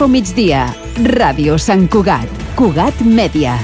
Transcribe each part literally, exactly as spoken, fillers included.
Info Migdia. Ràdio Sant Cugat. Cugat Mèdia.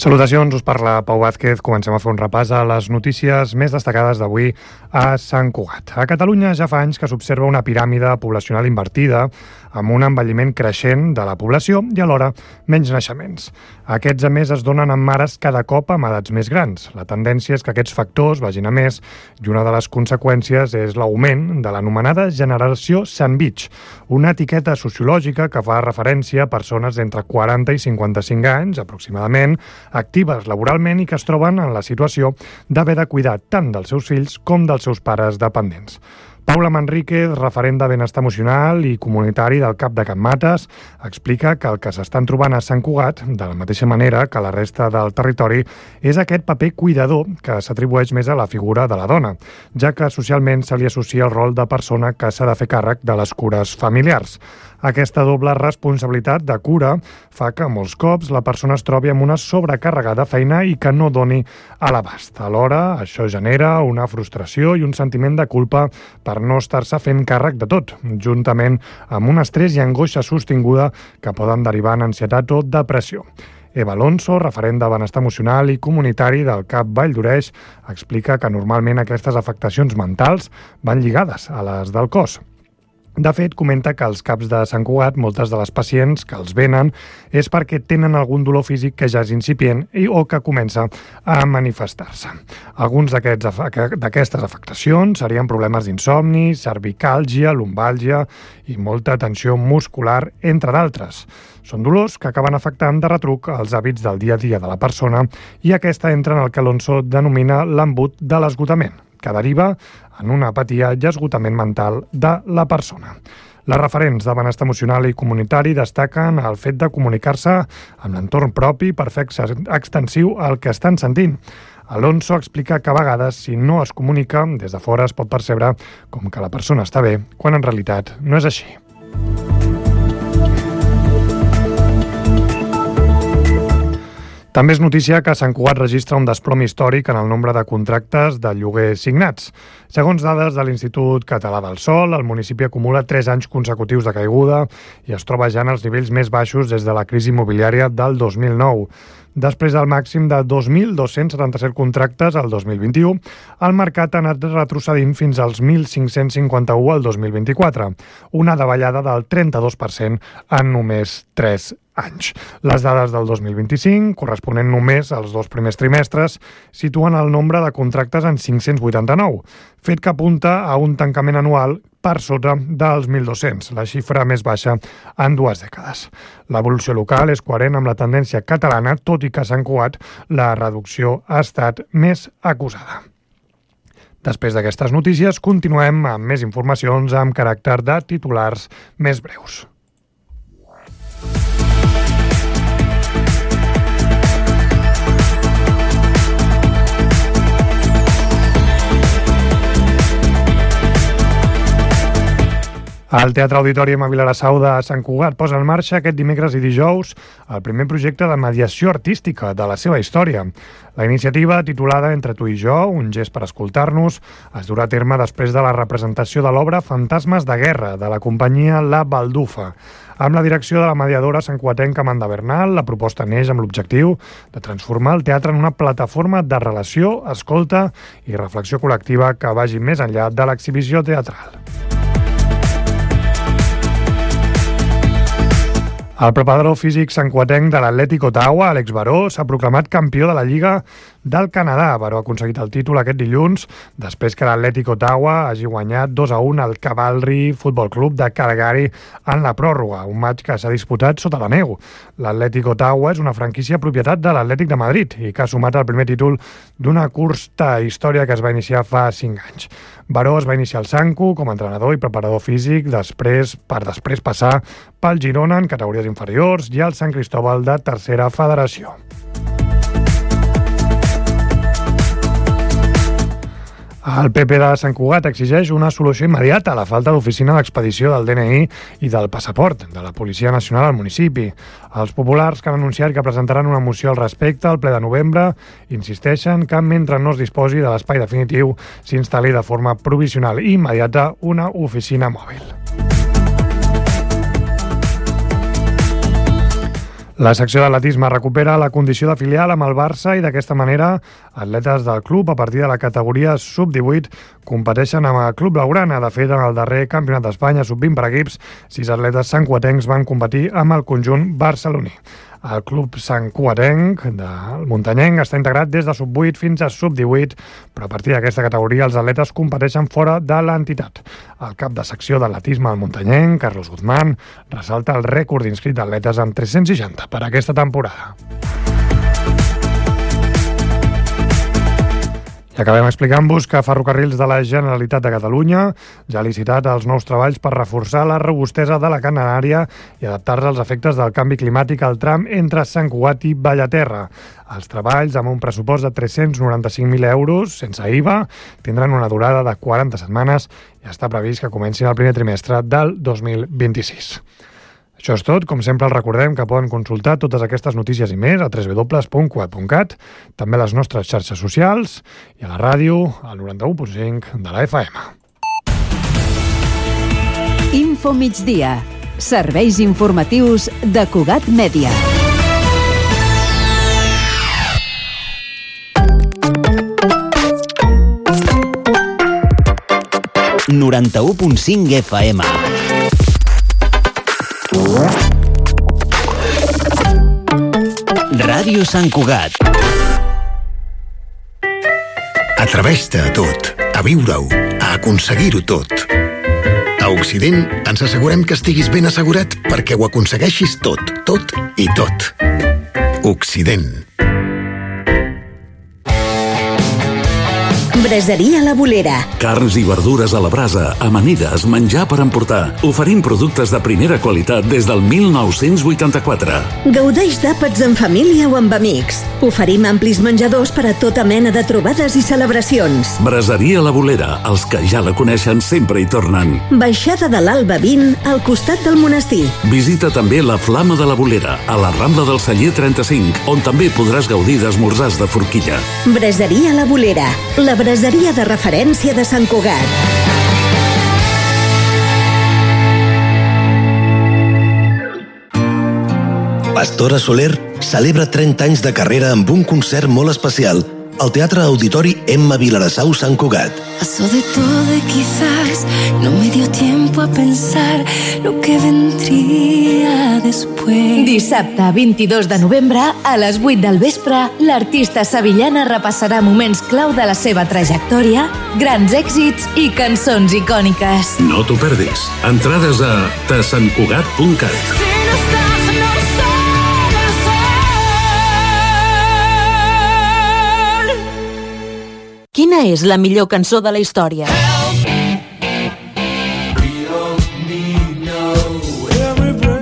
Salutacions, us parla Pau Vázquez. Comencem a fer un repàs a les notícies més destacades d'avui a Sant Cugat. A Catalunya ja fa anys que s'observa una piràmide poblacional invertida amb un envelliment creixent de la població i alhora menys naixements. Aquests, a més, es donen amb mares cada cop amb edats més grans. La tendència és que aquests factors vagin a més i una de les conseqüències és l'augment de l'anomenada generació sandwich, una etiqueta sociològica que fa referència a persones d'entre quaranta i cinquanta-cinc anys, aproximadament, actives laboralment i que es troben en la situació d'haver de cuidar tant dels seus fills com dels seus pares dependents. Paula Manríquez, referent de benestar emocional i comunitari del CAP de Can Mates, explica que el que s'estan trobant a Sant Cugat, de la mateixa manera que la resta del territori, és aquest paper cuidador que s'atribueix més a la figura de la dona, ja que socialment se li associa el rol de persona que s'ha de fer càrrec de les cures familiars. Aquesta doble responsabilitat de cura fa que molts cops la persona es trobi amb una sobrecàrrega de feina i que no doni a l'abast. Alhora, això genera una frustració i un sentiment de culpa per no estar-se fent càrrec de tot, juntament amb un estrès i angoixa sostinguda que poden derivar en ansietat o depressió. Eva Alonso, referent de benestar emocional i comunitari del CAP Vall d'Oreix, explica que normalment aquestes afectacions mentals van lligades a les del cos. De fet, comenta que als CAPs de Sant Cugat moltes de les pacients que els venen és perquè tenen algun dolor físic que ja és incipient i o que comença a manifestar-se. Alguns d'aquestes afectacions serien problemes d'insomni, cervicàlgia, lumbàlgia i molta tensió muscular, entre d'altres. Són dolors que acaben afectant de retruc els hàbits del dia a dia de la persona i aquesta entra en el que Alonso denomina l'embut de l'esgotament, que deriva en una apatia i esgotament mental de la persona. Les referents de benestar emocional i comunitari destaquen el fet de comunicar-se amb l'entorn propi per fer extensiu el que estan sentint. Alonso explica que a vegades, si no es comunica, des de fora es pot percebre com que la persona està bé, quan en realitat no és així. També és notícia que Sant Cugat registra un desplom històric en el nombre de contractes de lloguer signats. Segons dades de l'Institut Català del Sòl, el municipi acumula tres anys consecutius de caiguda i es troba ja en els nivells més baixos des de la crisi immobiliària del dos mil nou. Després del màxim de dos mil dos-cents setanta-set contractes al dos mil vint-i-u, el mercat ha anat retrocedint fins als mil cinc-cents cinquanta-un al dos mil vint-i-quatre, una davallada del trenta-dos per cent en només tres anys. Les dades del dos mil vint-i-cinc, corresponent només als dos primers trimestres, situen el nombre de contractes en cinc-cents vuitanta-nou, fet que apunta a un tancament anual per sota dels mil dos-cents, la xifra més baixa en dues dècades. L'evolució local és coherent amb la tendència catalana, tot i que a Sant Cugat la reducció ha estat més acusada. Després d'aquestes notícies, continuem amb més informacions amb caràcter de titulars més breus. El Teatre Auditori a Vilassau de Sant Cugat posa en marxa aquest dimecres i dijous el primer projecte de mediació artística de la seva història. La iniciativa, titulada Entre tu i jo, un gest per escoltar-nos, es durà a terme després de la representació de l'obra Fantasmes de guerra, de la companyia La Baldufa. Amb la direcció de la mediadora santcugatenca Amanda Bernal, la proposta neix amb l'objectiu de transformar el teatre en una plataforma de relació, escolta i reflexió col·lectiva que vagi més enllà de l'exhibició teatral. El preparador físic santcugatenc de l'Atlètic Ottawa, Àlex Baró, s'ha proclamat campió de la Lliga del Canadà. Baró ha aconseguit el títol aquest dilluns després que l'Atlètic Ottawa hagi guanyat dos a un al Cavalry Football Club de Calgary en la pròrroga, un matx que s'ha disputat sota la neu. L'Atlètic Ottawa és una franquícia propietat de l'Atlètic de Madrid i que ha sumat el primer títol d'una curta història que es va iniciar fa cinc anys. Baró es va iniciar al Sanco com a entrenador i preparador físic després per després passar pel Girona en categories inferiors i al Sant Cristóbal de tercera federació. El P P de Sant Cugat exigeix una solució immediata a la falta d'oficina d'expedició del D N I i del passaport de la Policia Nacional al municipi. Els populars, que han anunciat que presentaran una moció al respecte al ple de novembre, insisteixen que mentre no es disposi de l'espai definitiu s'instal·li de forma provisional i immediata una oficina mòbil. La secció d'atletisme recupera la condició de filial amb el Barça i d'aquesta manera atletes del club a partir de la categoria sub divuit competeixen amb el Club Blaugrana. De fet, en el darrer Campionat d'Espanya sub vint per equips, sis atletes santcugatencs van competir amb el conjunt barceloní. El club santcugatenc del muntanyenc està integrat des de sub vuit fins a sub divuit, però a partir d'aquesta categoria els atletes competeixen fora de l'entitat. El cap de secció d'atletisme al muntanyenc, Carlos Guzmán, ressalta el rècord inscrit d'atletes amb tres-cents seixanta per aquesta temporada. I acabem explicant-vos que Ferrocarrils de la Generalitat de Catalunya ja ha licitat els nous treballs per reforçar la robustesa de la catenària i adaptar-se als efectes del canvi climàtic al tram entre Sant Cugat i Bellaterra. Els treballs, amb un pressupost de tres-cents noranta-cinc mil euros, sense I V A, tindran una durada de quaranta setmanes i està previst que comencin el primer trimestre del dos mil vint-i-sis. Això és tot. Com sempre, els recordem que poden consultar totes aquestes notícies i més a w w w punt cugat punt cat, també a les nostres xarxes socials i a la ràdio, al noranta-u punt cinc de la F M. Info migdia. Serveis informatius de Cugat Mèdia. noranta-u punt cinc F M. Ràdio Sant Cugat. Atreveix-te a tot, a viure-ho, a aconseguir-ho tot. A Occident ens assegurem que estiguis ben assegurat perquè ho aconsegueixis tot, tot i tot. Occident. Braseria La Bolera. Carns i verdures a la brasa, amanides, menjar per emportar. Oferim productes de primera qualitat des del mil nou-cents vuitanta-quatre. Gaudeix d'àpats en família o amb amics. Oferim amplis menjadors per a tota mena de trobades i celebracions. Braseria La Bolera, els que ja la coneixen sempre hi tornen. Baixada de l'Alba vint, al costat del monestir. Visita també la Flama de la Bolera, a la Rambla del Celler trenta-cinc, on també podràs gaudir d'esmorzars de forquilla. Braseria La Bolera, la braseria de referència de Sant Cugat. Pastora Soler celebra trenta anys de carrera amb un concert molt especial al Teatre Auditori Emma Vilarassau Sant Cugat. Pasó de todo y quizás no me dio tiempo a pensar lo que vendría después. Dissabte vint-i-dos de novembre, a les vuit del vespre, l'artista sevillana repassarà moments clau de la seva trajectòria, grans èxits i cançons icòniques. No t'ho perdis. Entrades a tasantcugat punt cat. Si no estás, no soy el sol. Quina és la millor cançó de la història?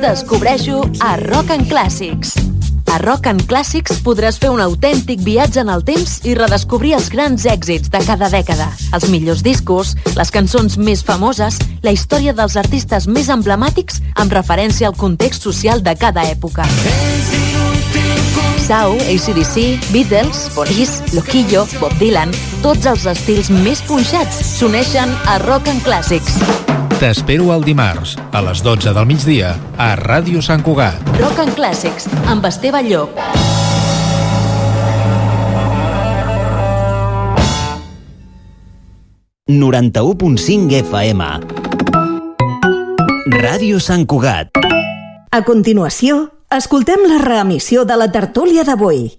Descobreixo a Rock and Classics. A Rock and Classics podràs fer un autèntic viatge en el temps i redescobrir els grans èxits de cada dècada, els millors discos, les cançons més famoses, la història dels artistes més emblemàtics amb referència al context social de cada època. Sau, A C D C, Beatles, Police, Loquillo, Bob Dylan, tots els estils més punxats s'uneixen a Rock and Classics. T'espero el dimarts, a les dotze del migdia, a Ràdio Sant Cugat. Rock and Classics, amb Esteve Llop. noranta-u punt cinc F M. Ràdio Sant Cugat. A continuació, escoltem la reemissió de la tertúlia d'avui.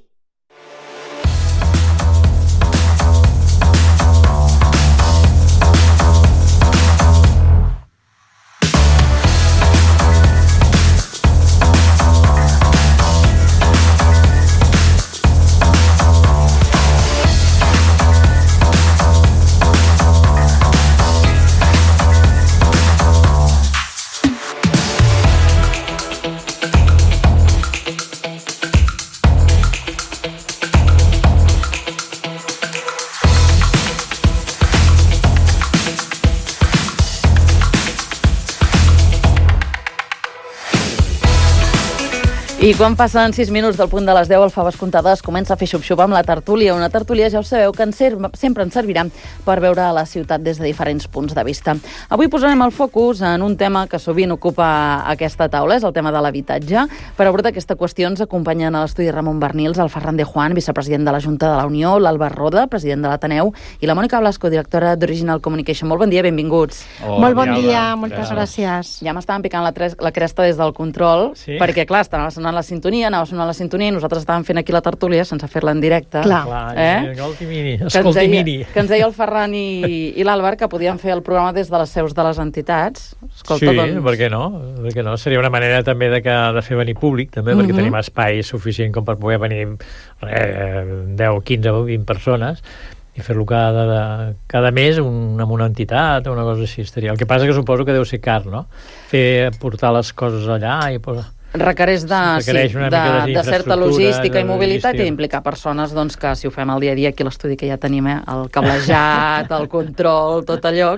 I quan passen sis minuts del punt de les deu, el Faves Comptades comença a fer xup-xup amb la tertúlia. Una tertúlia, ja ho sabeu, que ens sempre ens servirà per veure la ciutat des de diferents punts de vista. Avui posarem el focus en un tema que sovint ocupa aquesta taula, és el tema de l'habitatge. Per abordar aquesta qüestió ens acompanyen a l'estudi Ramon Bernils, el Ferran de Juan, vicepresident de la Junta de la Unió, l'Àlvar Roda, president de l'Ateneu, i la Mònica Blasco, directora d'Original Communication. Molt bon dia, benvinguts. Oh, Molt bon dia, moltes gràcies. Ja m'estaven picant la, tres, la cresta des del control, sí? perquè, clar, estava sonant la sintonia, anava sonant la sintonia i nosaltres estàvem fent aquí la tertúlia sense fer-la en directe. Clar. Eh? Escolti, miri. Escolti, miri. Que ens deia el Ferran i, i l'Àlvar que podien fer el programa des de les seus de les entitats. Escolta, sí, doncs... per què no? Per què no? Seria una manera també de, que, de fer venir públic, també, perquè mm-hmm. tenim espai suficient com per poder venir eh, deu, quinze o vint persones i fer-lo cada, de, cada mes un, amb una entitat o una cosa així. Estaria. El que passa que suposo que deu ser car, no? Fer, portar les coses allà i posar... Requereix de, Requereix sí, una de, mica de, de certa logística i mobilitat logística. I d'implicar persones doncs, que si ho fem al dia a dia aquí a l'estudi que ja tenim, eh, el cablejat, el control, tot allò...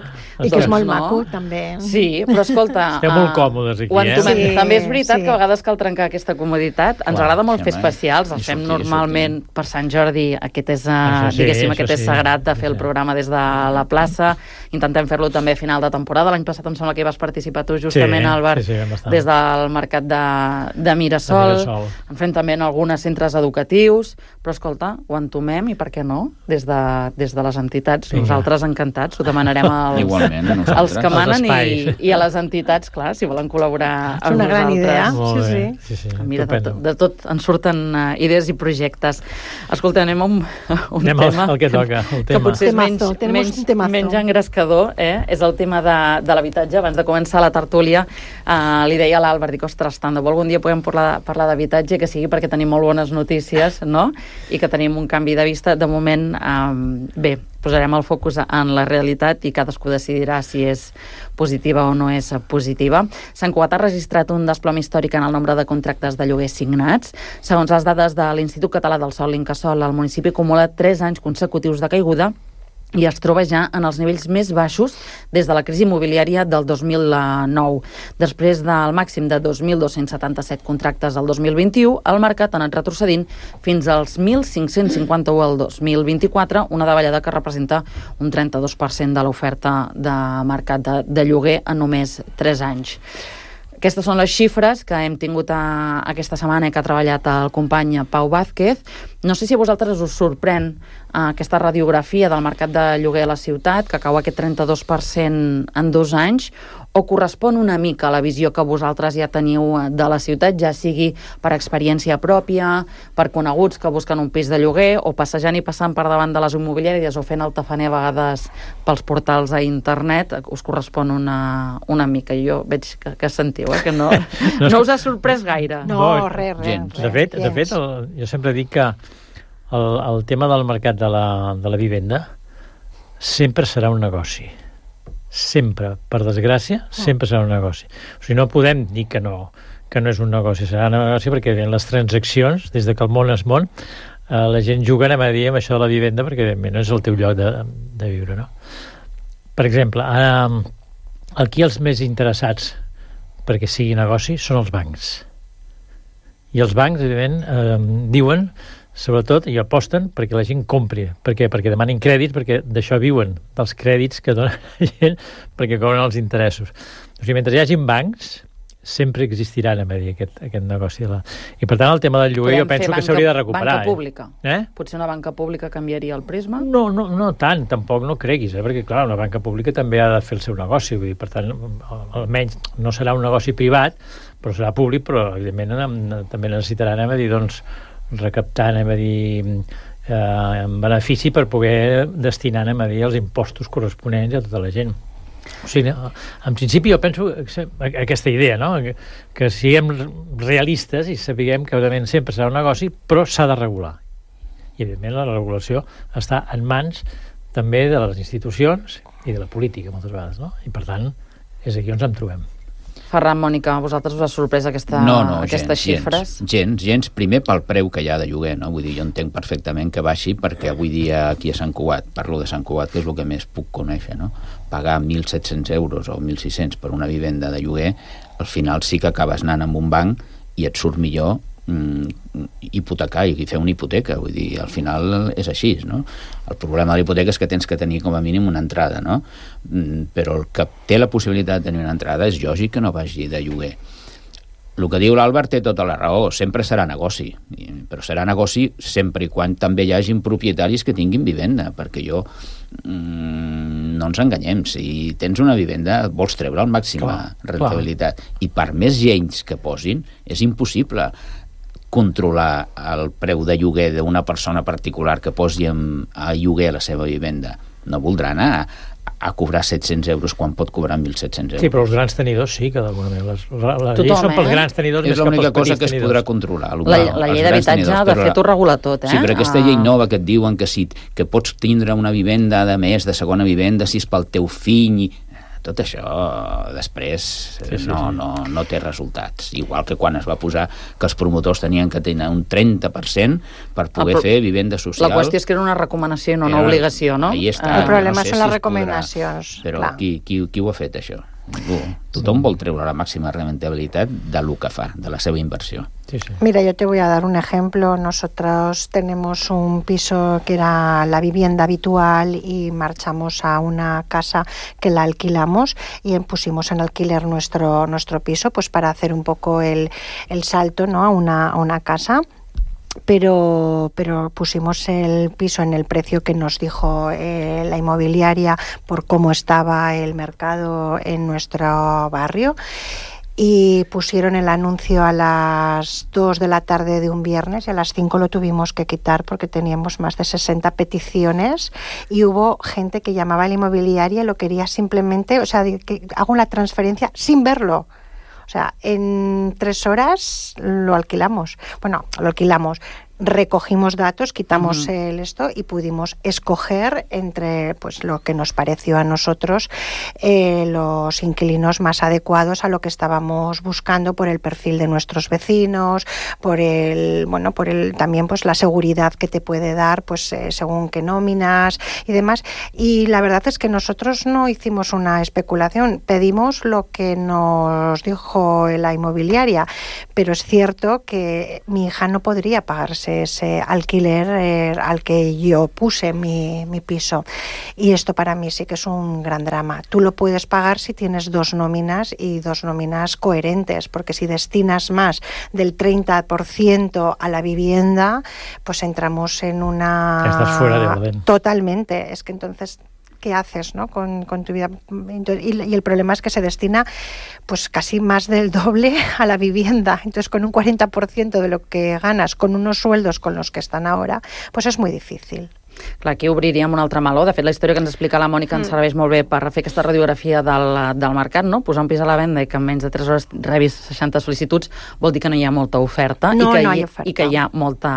I que és molt no? maco, també. Sí, però escolta... Estem molt còmodes aquí, eh? Sí, també és veritat sí. que a vegades cal trencar aquesta comoditat. Ens Clar, agrada molt fer especials, els fem sortir, normalment sortir. Per Sant Jordi. Aquest és, uh, sí, diguéssim, aquest és sí. sagrat de fer el programa des de la plaça. Intentem fer-lo també a final de temporada. L'any passat em sembla que hi vas participar tu justament, sí, Àlvar, sí, sí, des del mercat de, de Mirasol. Sol. En fem també en alguns centres educatius, però escolta, ho entomem i per què no? Des de, des de les entitats, Vinga. Nosaltres encantats, ho demanarem als, Igualment, als que manen i, i a les entitats, clar, si volen col·laborar amb una gran nosaltres. idea. Molt sí, bé. sí. sí, sí. Mira, de, tot, de tot en surten uh, idees i projectes. Escolta, anem a un, un anem tema al, al que toca, el que tema. potser és menys, menys, menys engrescador, eh? És el tema de, de l'habitatge. Abans de començar la tertúlia, uh, li deia a l'Àlvar, dic, ostres, tant de bo algun dia podem parlar parlar d'habitatge, que sigui perquè tenim molt bones notícies, no? I que tenim un canvi de vista. De moment, um, bé, posarem el focus en la realitat i cadascú decidirà si és positiva o no és positiva. Sant Cugat ha registrat un desplom històric en el nombre de contractes de lloguer signats. Segons les dades de l'Institut Català del Sòl, l'Incasòl, el municipi acumula tres anys consecutius de caiguda i es troba ja en els nivells més baixos des de la crisi immobiliària del dos mil nou. Després del màxim de dos mil dos-cents setanta-set contractes al dos mil vint-i-u, el mercat ha anat retrocedint fins als mil cinc-cents cinquanta-u al dos mil vint-i-quatre, una davallada que representa un trenta-dos per cent de l'oferta de mercat de, de lloguer en només tres anys. Aquestes són les xifres que hem tingut a, aquesta setmana que ha treballat el company Pau Vázquez. No sé si a vosaltres us sorprèn uh, aquesta radiografia del mercat de lloguer a la ciutat, que cau aquest trenta-dos per cent en dos anys, o correspon una mica a la visió que vosaltres ja teniu de la ciutat, ja sigui per experiència pròpia, per coneguts que busquen un pis de lloguer, o passejant i passant per davant de les immobiliàries o fent el tafaner a vegades pels portals a internet, us correspon una, una mica. Jo veig que, que sentiu, eh? Que no, no, no us ha sorprès gaire. No, res, res. Gens. De fet, de fet el, jo sempre dic que el, el tema del mercat de la, de la vivenda sempre serà un negoci. Sempre, per desgràcia, sempre serà un negoci. O sigui, no podem dir que no, que no és un negoci, serà un negoci perquè les transaccions, des de que el món és món, eh, la gent juga, anem a dir, amb això de la vivenda, perquè evidentment no és el teu lloc de, de viure, no? Per exemple, eh, aquí els més interessats perquè sigui negoci són els bancs. I els bancs, evidentment, eh, diuen, sobretot, i aposten perquè la gent compri. Per què? Perquè demanin crèdits, perquè d'això viuen, dels crèdits que donen la gent, perquè cobren els interessos. O sigui, mentre hi hagi bancs, sempre existirà, anem a dir, aquest, aquest negoci. La... I per tant, el tema del lloguer Podem jo penso banca, que s'hauria de recuperar. Banca pública. Eh? Potser una banca pública canviaria el prisma? No, no, no tant, tampoc no creguis, eh? Perquè, clar, una banca pública també ha de fer el seu negoci, vull dir, per tant, almenys no serà un negoci privat, però serà públic, però, evidentment, també necessitarà, anem a dir, doncs, recaptar, anem a dir, eh, en benefici per poder destinar, anem a dir, els impostos corresponents a tota la gent. O sigui, en principi jo penso aquesta idea, no? Que, que siguem realistes i sapiguem que evidentment sempre serà un negoci, però s'ha de regular. I evidentment la regulació està en mans també de les institucions i de la política moltes vegades, no? I per tant és aquí on ens en trobem. Ferran, Mònica, a vosaltres us ha sorprès aquesta, no, no, aquestes gens, xifres? Gens, gens, gens, primer pel preu que hi ha de lloguer, no? Vull dir, jo entenc perfectament que baixi perquè avui dia aquí a Sant Cugat, parlo de Sant Cugat, que és el que més puc conèixer, no? Pagar mil set-cents euros o mil sis-cents per una vivenda de lloguer, al final sí que acabes anant amb un banc i et surt millor mm, hipotecar i fer una hipoteca, vull dir, al final és així, no? El problema de la hipoteca és que tens que tenir com a mínim una entrada, no? Mm, però el que té la possibilitat de tenir una entrada és lògic que no vagi de lloguer. El que diu l'Àlvaro té tota la raó, sempre serà negoci, però serà negoci sempre i quan també hi hagin propietaris que tinguin vivenda, perquè jo, mmm, no ens enganyem, si tens una vivenda vols treure el màxima clar, rentabilitat, clar. I per més gens que posin, és impossible controlar el preu de lloguer d'una persona particular que posi a lloguer la seva vivenda. No voldrà anar a a cobrar set-cents euros quan pot cobrar mil set-cents euros. Sí, però els grans tenidors sí que d'alguna manera. Les, les lleis són pels grans tenidors més que pels petits tenidors. És l'única cosa que es podrà controlar. La, la llei d'habitatge, de fet, ho regula tot, eh? Sí, però aquesta llei nova que et diuen que, si, que pots tindre una vivenda de més, de segona vivenda, si és pel teu fill... Tot això després sí, sí, no, sí. No, no té resultats. Igual que quan es va posar que els promotors tenien que tenir un trenta per cent per poder ah, fer vivenda social. La qüestió és que era una recomanació i no una era, obligació, no? Està, el problema no sé són si les recomanacions. Podrà, però qui, qui, qui ho ha fet, això? Ningú. Tothom vol treure la máxima rentabilitat de lo que fa, de la seva inversión. Sí, sí. Mira, yo te voy a dar un ejemplo. Nosotros tenemos un piso que era la vivienda habitual y marchamos a una casa que la alquilamos y pusimos en alquiler nuestro, nuestro piso, pues para hacer un poco el, el salto, ¿no? a, una, a una casa. Pero, pero pusimos el piso en el precio que nos dijo eh, la inmobiliaria por cómo estaba el mercado en nuestro barrio, y pusieron el anuncio a las dos de la tarde de un viernes y a las cinco lo tuvimos que quitar porque teníamos más de sesenta peticiones y hubo gente que llamaba a la inmobiliaria y lo quería simplemente, o sea, que hago la transferencia sin verlo. O sea, en tres horas lo alquilamos. Bueno, lo alquilamos. Recogimos datos, quitamos uh-huh. el esto y pudimos escoger entre pues lo que nos pareció a nosotros eh, los inquilinos más adecuados a lo que estábamos buscando por el perfil de nuestros vecinos, por el bueno, por el también pues la seguridad que te puede dar pues eh, según qué nóminas y demás. Y la verdad es que nosotros no hicimos una especulación, pedimos lo que nos dijo la inmobiliaria, pero es cierto que mi hija no podría pagarse ese alquiler eh, al que yo puse mi, mi piso, y esto para mí sí que es un gran drama. Tú lo puedes pagar si tienes dos nóminas y dos nóminas coherentes, porque si destinas más del treinta por ciento a la vivienda, pues entramos en una... Estás fuera de orden. Totalmente, es que entonces... ¿qué haces, ¿no? con, con tu vida? Y, y el problema es que se destina pues casi más del doble a la vivienda. Entonces, con un cuarenta por ciento de lo que ganas, con unos sueldos con los que están ahora, pues es muy difícil. Clar, aquí obriríem un altre meló. De fet, la història que ens explica la Mònica ens serveix molt bé per fer aquesta radiografia del, del mercat, no? Posar un pis a la venda i que en menys de tres hores rebis seixanta sol·licituds vol dir que no hi ha molta oferta, no, i, que no hi, hay oferta. I que hi ha molta...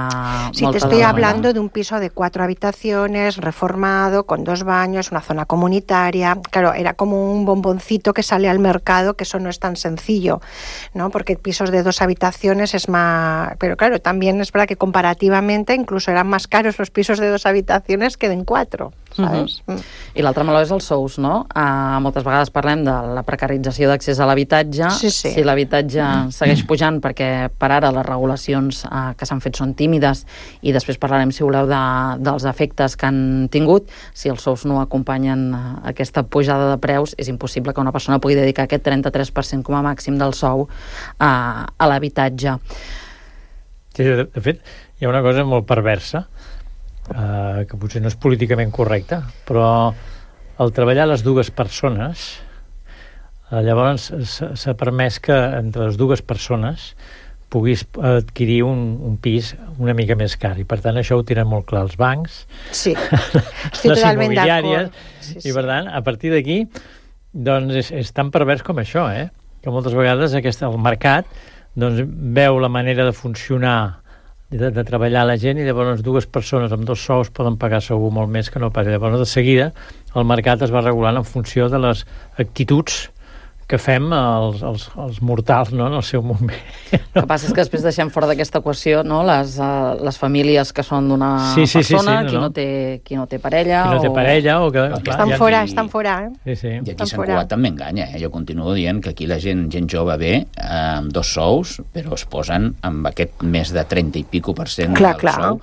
Sí, molta te estoy demanda. hablando de un piso de cuatro habitaciones, reformado, con dos baños, una zona comunitaria. Claro, era como un bomboncito que sale al mercado, que eso no es tan sencillo, ¿no? Porque pisos de dos habitaciones es más... Pero claro, también es verdad que comparativamente incluso eran más caros los pisos de dos habitaciones que de quatre, saps? Uh-huh. I l'altre meló és els sous, no? Uh, moltes vegades parlem de la precarització d'accés a l'habitatge. Sí, sí. Si l'habitatge uh-huh. segueix pujant, perquè per ara les regulacions uh, que s'han fet són tímides, i després parlarem, si voleu, de, dels efectes que han tingut. Si els sous no acompanyen uh, aquesta pujada de preus, és impossible que una persona pugui dedicar aquest trenta-tres per cent com a màxim del sou uh, a l'habitatge. Sí, de, de fet, hi ha una cosa molt perversa, Uh, que potser no és políticament correcta, però al treballar les dues persones uh, llavors s'ha permès que entre les dues persones puguis adquirir un, un pis una mica més car, i per tant això ho tiren molt clar els bancs, sí. les immobiliàries, sí, sí. I per tant a partir d'aquí doncs és, és tan pervers com això, eh? Que moltes vegades aquest, el mercat doncs, veu la manera de funcionar De, de treballar la gent, i llavors dues persones amb dos sous poden pagar segur molt més que no pas. Llavors de seguida el mercat es va regulant en funció de les actituds que fem els, els, els mortals, no?, en el seu moment. El que passa és que després deixem fora d'aquesta equació, no?, les, uh, les famílies que són d'una sí, sí, persona, sí, sí, no, qui, no no. té, qui no té parella... Qui no té o... parella o que... Clar, estan fora, aquí, estan fora, eh? Sí, sí. I aquí a Sant Cugat també enganya, eh? Jo continuo dient que aquí la gent, gent jove ve eh, amb dos sous, però es posen amb aquest més de trenta i pico per cent clar, del clar. sou,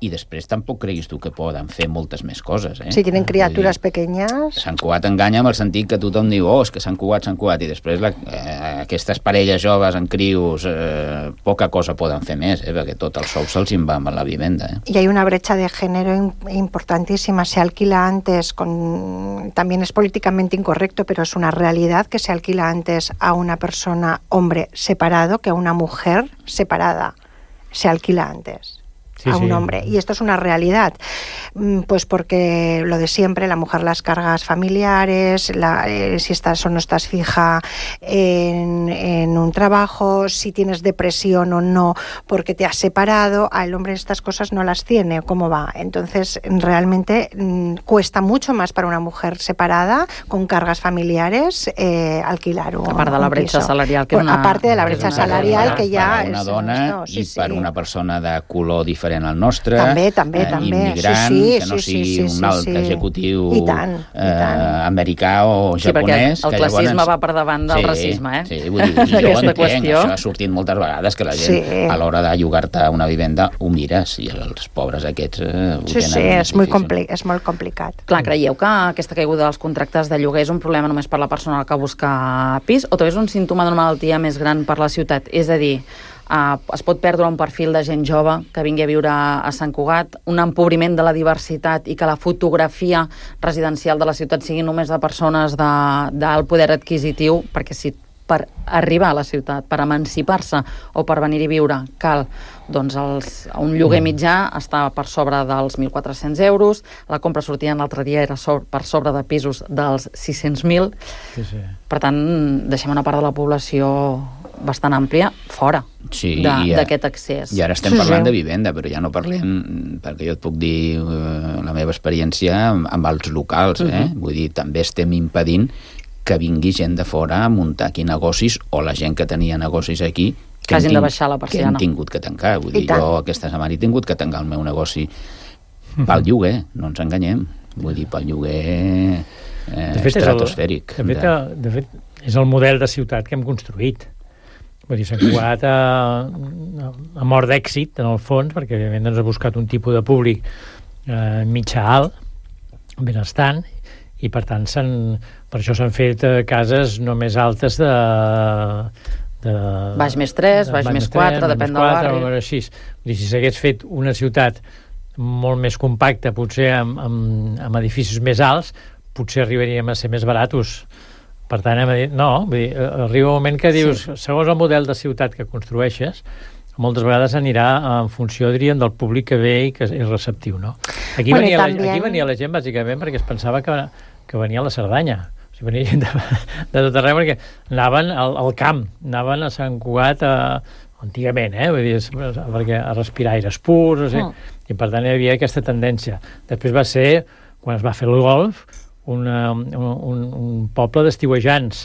i després tampoc creguis tu que poden fer moltes més coses, eh? Si tienen criatures pequeñas... Sant Cugat enganya amb el sentit que tothom diu, oh, és que Sant Cugat, Sant Cugat, i després la, eh, aquestes parelles joves en crios eh, poca cosa poden fer més, eh? Perquè tot el sou se'ls en va amb la vivenda, eh? Y hay una brecha de género importantísima. Se alquila antes, con también es políticamente incorrecto, pero es una realidad que se alquila antes a una persona, hombre, separado, que a una mujer separada. Se alquila antes. Sí, a un sí. hombre. Y esto es una realidad, pues porque lo de siempre, la mujer las cargas familiares, la, eh, si estás o no estás fija en, en un trabajo, si tienes depresión o no, porque te has separado, al hombre estas cosas no las tiene, ¿cómo va? Entonces, realmente mmm, cuesta mucho más para una mujer separada, con cargas familiares, eh, alquilar un, aparte de la brecha piso. salarial. Que una, aparte de la brecha salarial, que ja... Per una és, dona no, sí, i sí. per una persona de color diferent al nostre, també, també, eh, també. immigrant, sí, sí, que no sí, sigui sí, sí, un alt sí. executiu I tant, i tant. Eh, americà o sí, japonès. Sí, el classisme llavors... va per davant del sí, racisme, eh? Sí, vull dir, jo ho entenc, qüestió. Això ha sortit moltes vegades, que la gent sí. a l'hora de llogar-te una vivenda ho mires, i els pobres aquests eh, ho sí, tenen sí, és, difícil. molt compli és molt complicat. Clar, creieu que aquesta caiguda dels contractes de lloguer és un problema només per la persona que busca pis, o també és un símptoma d'una malaltia més gran per la ciutat? És a dir, Uh, es pot perdre un perfil de gent jove que vingui a viure a Sant Cugat, un empobriment de la diversitat i que la fotografia residencial de la ciutat sigui només de persones d'alt poder adquisitiu, perquè si per arribar a la ciutat, per emancipar-se o per venir-hi a viure cal doncs els, un lloguer mitjà està per sobre dels mil quatre-cents euros, la compra sortida l'altre dia era so per sobre de pisos dels sis-cents mil, sí, sí. Per tant deixem una part de la població bastant àmplia fora sí, d'aquest accés. I ara estem sí, parlant sí. de vivenda, però ja no parlem, perquè jo et puc dir eh, la meva experiència amb, amb els locals, eh? Uh-huh. Vull dir, també estem impedint que vingui gent de fora a muntar aquí negocis, o la gent que tenia negocis aquí que, que hagin de baixar la persiana. Que hem tingut que tancar. Vull dir, jo aquesta setmana he tingut que tancar el meu negoci uh-huh. pel lloguer, no ens enganyem. Vull dir, pel lloguer eh, de fet, estratosfèric. És el, de, fet, de fet, és el model de ciutat que hem construït. Vull dir, s'ha Cugat a, a mort d'èxit, en el fons, perquè evidentment ens ha buscat un tipus de públic eh, mitjà alt, benestant, i per tant per això s'han fet eh, cases no més altes de... de baix més tres, baix més quatre, depèn del barri. O així. Vull dir, si s'hagués fet una ciutat molt més compacta, potser amb, amb, amb edificis més alts, potser arribaríem a ser més baratos. Per tant, hem dit, no, vull dir, arriba un moment que dius, sí. segons el model de ciutat que construeixes, moltes vegades anirà en funció, diríem, del públic que ve i que és receptiu, no? Aquí, bueno, venia, també... la, aquí venia la gent, bàsicament, perquè es pensava que, que venia a la Cerdanya. O sigui, venia gent de, de tot arreu, perquè anaven al, al camp, anaven a Sant Cugat a, antigament, eh? Vull dir, perquè a respirar aires purs, o sigui, oh. i per tant hi havia aquesta tendència. Després va ser, quan es va fer el golf, Una, un, un, un poble d'estiuejants,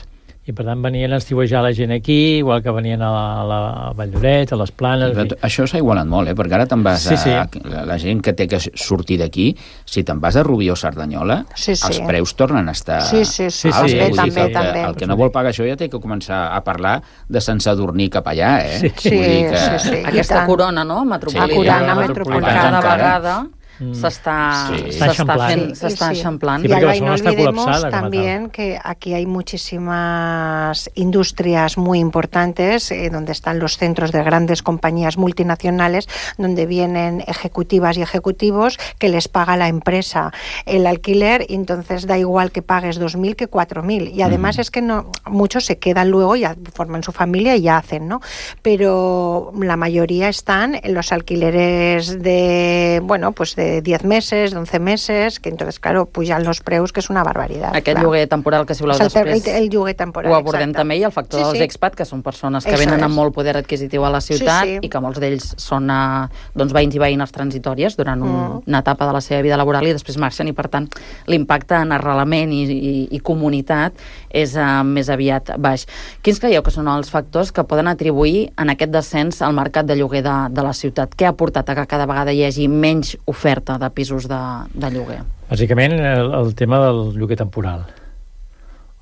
i per tant venien a estiuejar la gent aquí, igual que venien a la, a la Vall d'Oret, a les Planes... Però això s'ha igualat molt, eh? Perquè ara te'n vas sí, sí. a... La, la gent que té que sortir d'aquí, si te'n vas a Rubió o Cerdanyola, sí, sí. els preus tornen a estar... Sí, sí, sí, alts, sí, eh? sí, també, el, també. El que no vol pagar això ja té que començar a parlar de Sant Sadurní cap allà, eh? Sí, sí, que... sí, sí. Aquesta corona, no?, metropolitana. Sí, corona metropolitana. Cada vegada... s'està sí. sí. fent, s'està eixamplant. Sí, y Alba, y no olvidemos también que aquí hay muchísimas industrias muy importantes, eh, donde están los centros de grandes compañías multinacionales, donde vienen ejecutivas y ejecutivos que les paga la empresa el alquiler, y entonces da igual que pagues dos mil que cuatro mil. Y además mm. es que no, muchos se quedan luego, ya forman su familia y ya hacen, ¿no? Pero la mayoría están en los alquileres de, bueno, pues de de diez meses, de once meses, que entonces, claro, pujan los preus, que és una barbaritat. Aquest clar. lloguer temporal que si voleu el, després el, el lloguer temporal, ho abordem exacte. també, i el factor sí, dels sí. expat, que són persones que Eso venen és. amb molt poder adquisitiu a la ciutat Sí, sí. i que molts d'ells són uh, doncs, veïns i veïnes transitòries durant un, Mm. una etapa de la seva vida laboral i després marxen, i per tant l'impacte en arrelament i, i, i comunitat és uh, més aviat baix. Quins creieu que són els factors que poden atribuir en aquest descens al mercat de lloguer de, de la ciutat? Què ha portat a que cada vegada hi hagi menys oferta de pisos de, de lloguer? Bàsicament el, el tema del lloguer temporal.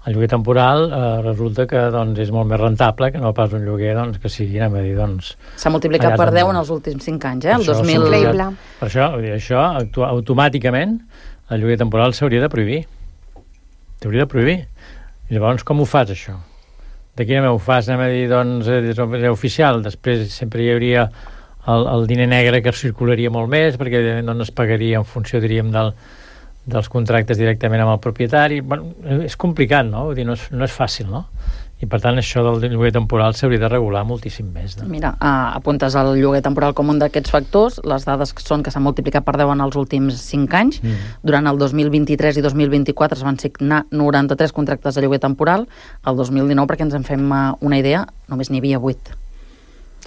El lloguer temporal eh, resulta que doncs, és molt més rentable que no pas un lloguer doncs, que sigui, anem a dir, doncs... S'ha multiplicat per deu en els últims cinc anys, eh? El Això dos mil... Increïble. Per això, vull dir, això actu- automàticament el lloguer temporal s'hauria de prohibir. S'hauria de prohibir. I llavors, com ho fas, això? De quina manera ho fas? Anem a dir, doncs, és oficial. Després sempre hi hauria el, el diner negre que circularia molt més, perquè evidentment doncs, es pagaria en funció, diríem, del, dels contractes directament amb el propietari. Bueno, és complicat, no? Vull dir, no és, no és fàcil, no? I per tant això del lloguer temporal s'hauria de regular moltíssim més. No? Mira, uh, apuntes el lloguer temporal com un d'aquests factors. Les dades són que s'han multiplicat per deu en els últims cinc anys. Mm. Durant el dos mil vint-i-tres i dos mil vint-i-quatre es van signar noranta-tres contractes de lloguer temporal. El dos mil dinou, perquè ens en fem uh, una idea, només n'hi havia vuit.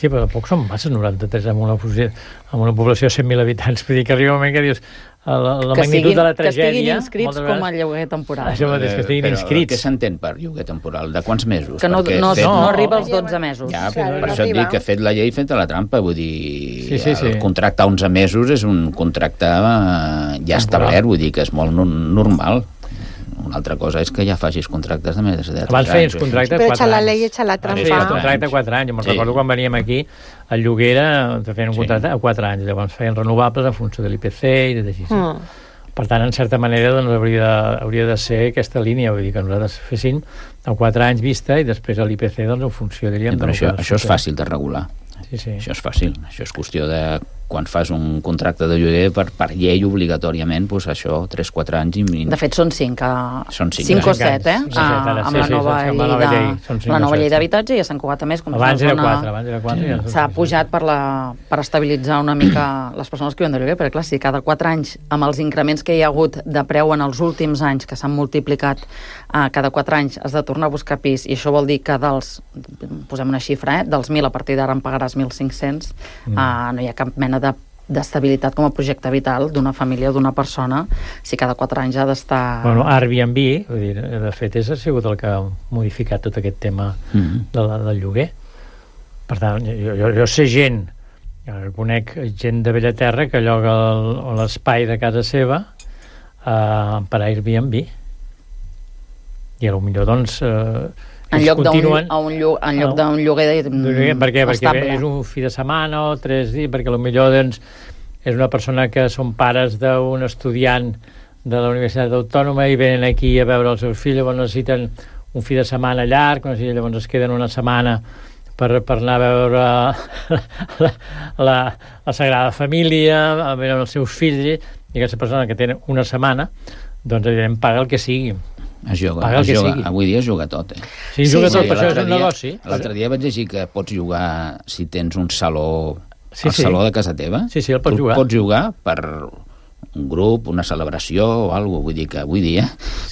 Sí, però tampoc són masses noranta-tres amb una, amb una població de cent mil habitants. Vull dir que arriba un moment que dius la, la que magnitud siguin, de la tragèdia... Que estiguin inscrits com a lloguer temporal. Això mateix, que estiguin però inscrits. Què s'entén per lloguer temporal? De quants mesos? Que no, Perquè no, fet... no, no arriba als dotze mesos. Ja, Claro, per no això et arriba. dic que ha fet la llei feta la trampa, vull dir, Sí, sí, sí. el contracte a onze mesos és un contracte eh, ja establert, vull dir que és molt no- normal. Una altra cosa és que ja facis contractes de més de tres anys. Abans feies contracte Però quatre echa la anys. ley, echa la Sí, trampa. el contracte a quatre anys. Me'n Sí. recordo quan veníem aquí, el lloguer era, te feien un contracte a quatre anys, llavors feien renovables en funció de l'I P C i de així. Mm. Per tant, en certa manera, doncs, hauria, de, hauria de ser aquesta línia, vull dir que nosaltres fessin a quatre anys vista i després a l'I P C, doncs, en funció, diríem... Però del això, que això és surti. fàcil de regular. Sí, sí. Això és fàcil. Això és qüestió de quan fas un contracte de lloguer per, per llei obligatòriament, doncs això, tres quatre anys i... De fet, són cinc, a... Són cinc, cinc o cinc set, eh? anys. Ah, Set, ara, amb sí, la sí, nova amb la llei nova de- llei, són cinc la o nova set, llei sí. d'habitatge, i a Sant Cugat a més, com Abans és era una quatre, abans era quatre. Ja s'ha pujat per, la, per estabilitzar una mica les persones que viuen de lloguer, perquè clar, si cada quatre anys, amb els increments que hi ha hagut de preu en els últims anys, que s'han multiplicat eh, cada quatre anys, has de tornar a buscar pis, i això vol dir que dels, posem una xifra, eh, dels mil, a partir d'ara en pagaràs mil cinc-cents, mm. eh, no hi ha cap mena de d'estabilitat com a projecte vital d'una família o d'una persona si cada quatre anys ha d'estar... Bueno, Airbnb, vull dir, de fet, és, ha sigut el que ha modificat tot aquest tema Mm-hmm. de la, del lloguer. Per tant, jo, jo, jo sé gent, jo conec gent de Bellaterra que lloga el- l'espai de casa seva eh, per Airbnb. I potser doncs, eh, En ells lloc d'un continuen... a un llo- en lloc d'un lloguer de, Mm, per què? Perquè estable. és un fi de setmana o tres dies, perquè potser doncs, és una persona que són pares d'un estudiant de la Universitat Autònoma i venen aquí a veure els seus fills, llavors necessiten un fi de setmana llarg, no sé, llavors es queden una setmana per, per anar a veure la, la, la Sagrada Família, a veure els seus fills, i aquesta persona que té una setmana, doncs evidentment paga el que sigui. Es juga, Paga el es que juga. sigui. Avui dia es juga tot, eh? Sí, es juga Sí, tot, sí, per això és l'altre un dia- negoci. L'altre dia vaig llegir que pots jugar si tens un saló, Sí, el sí. saló de casa teva. Sí, sí, el pots tu jugar. Pots jugar per un grup, una celebració o alguna cosa. Vull dir que avui dia,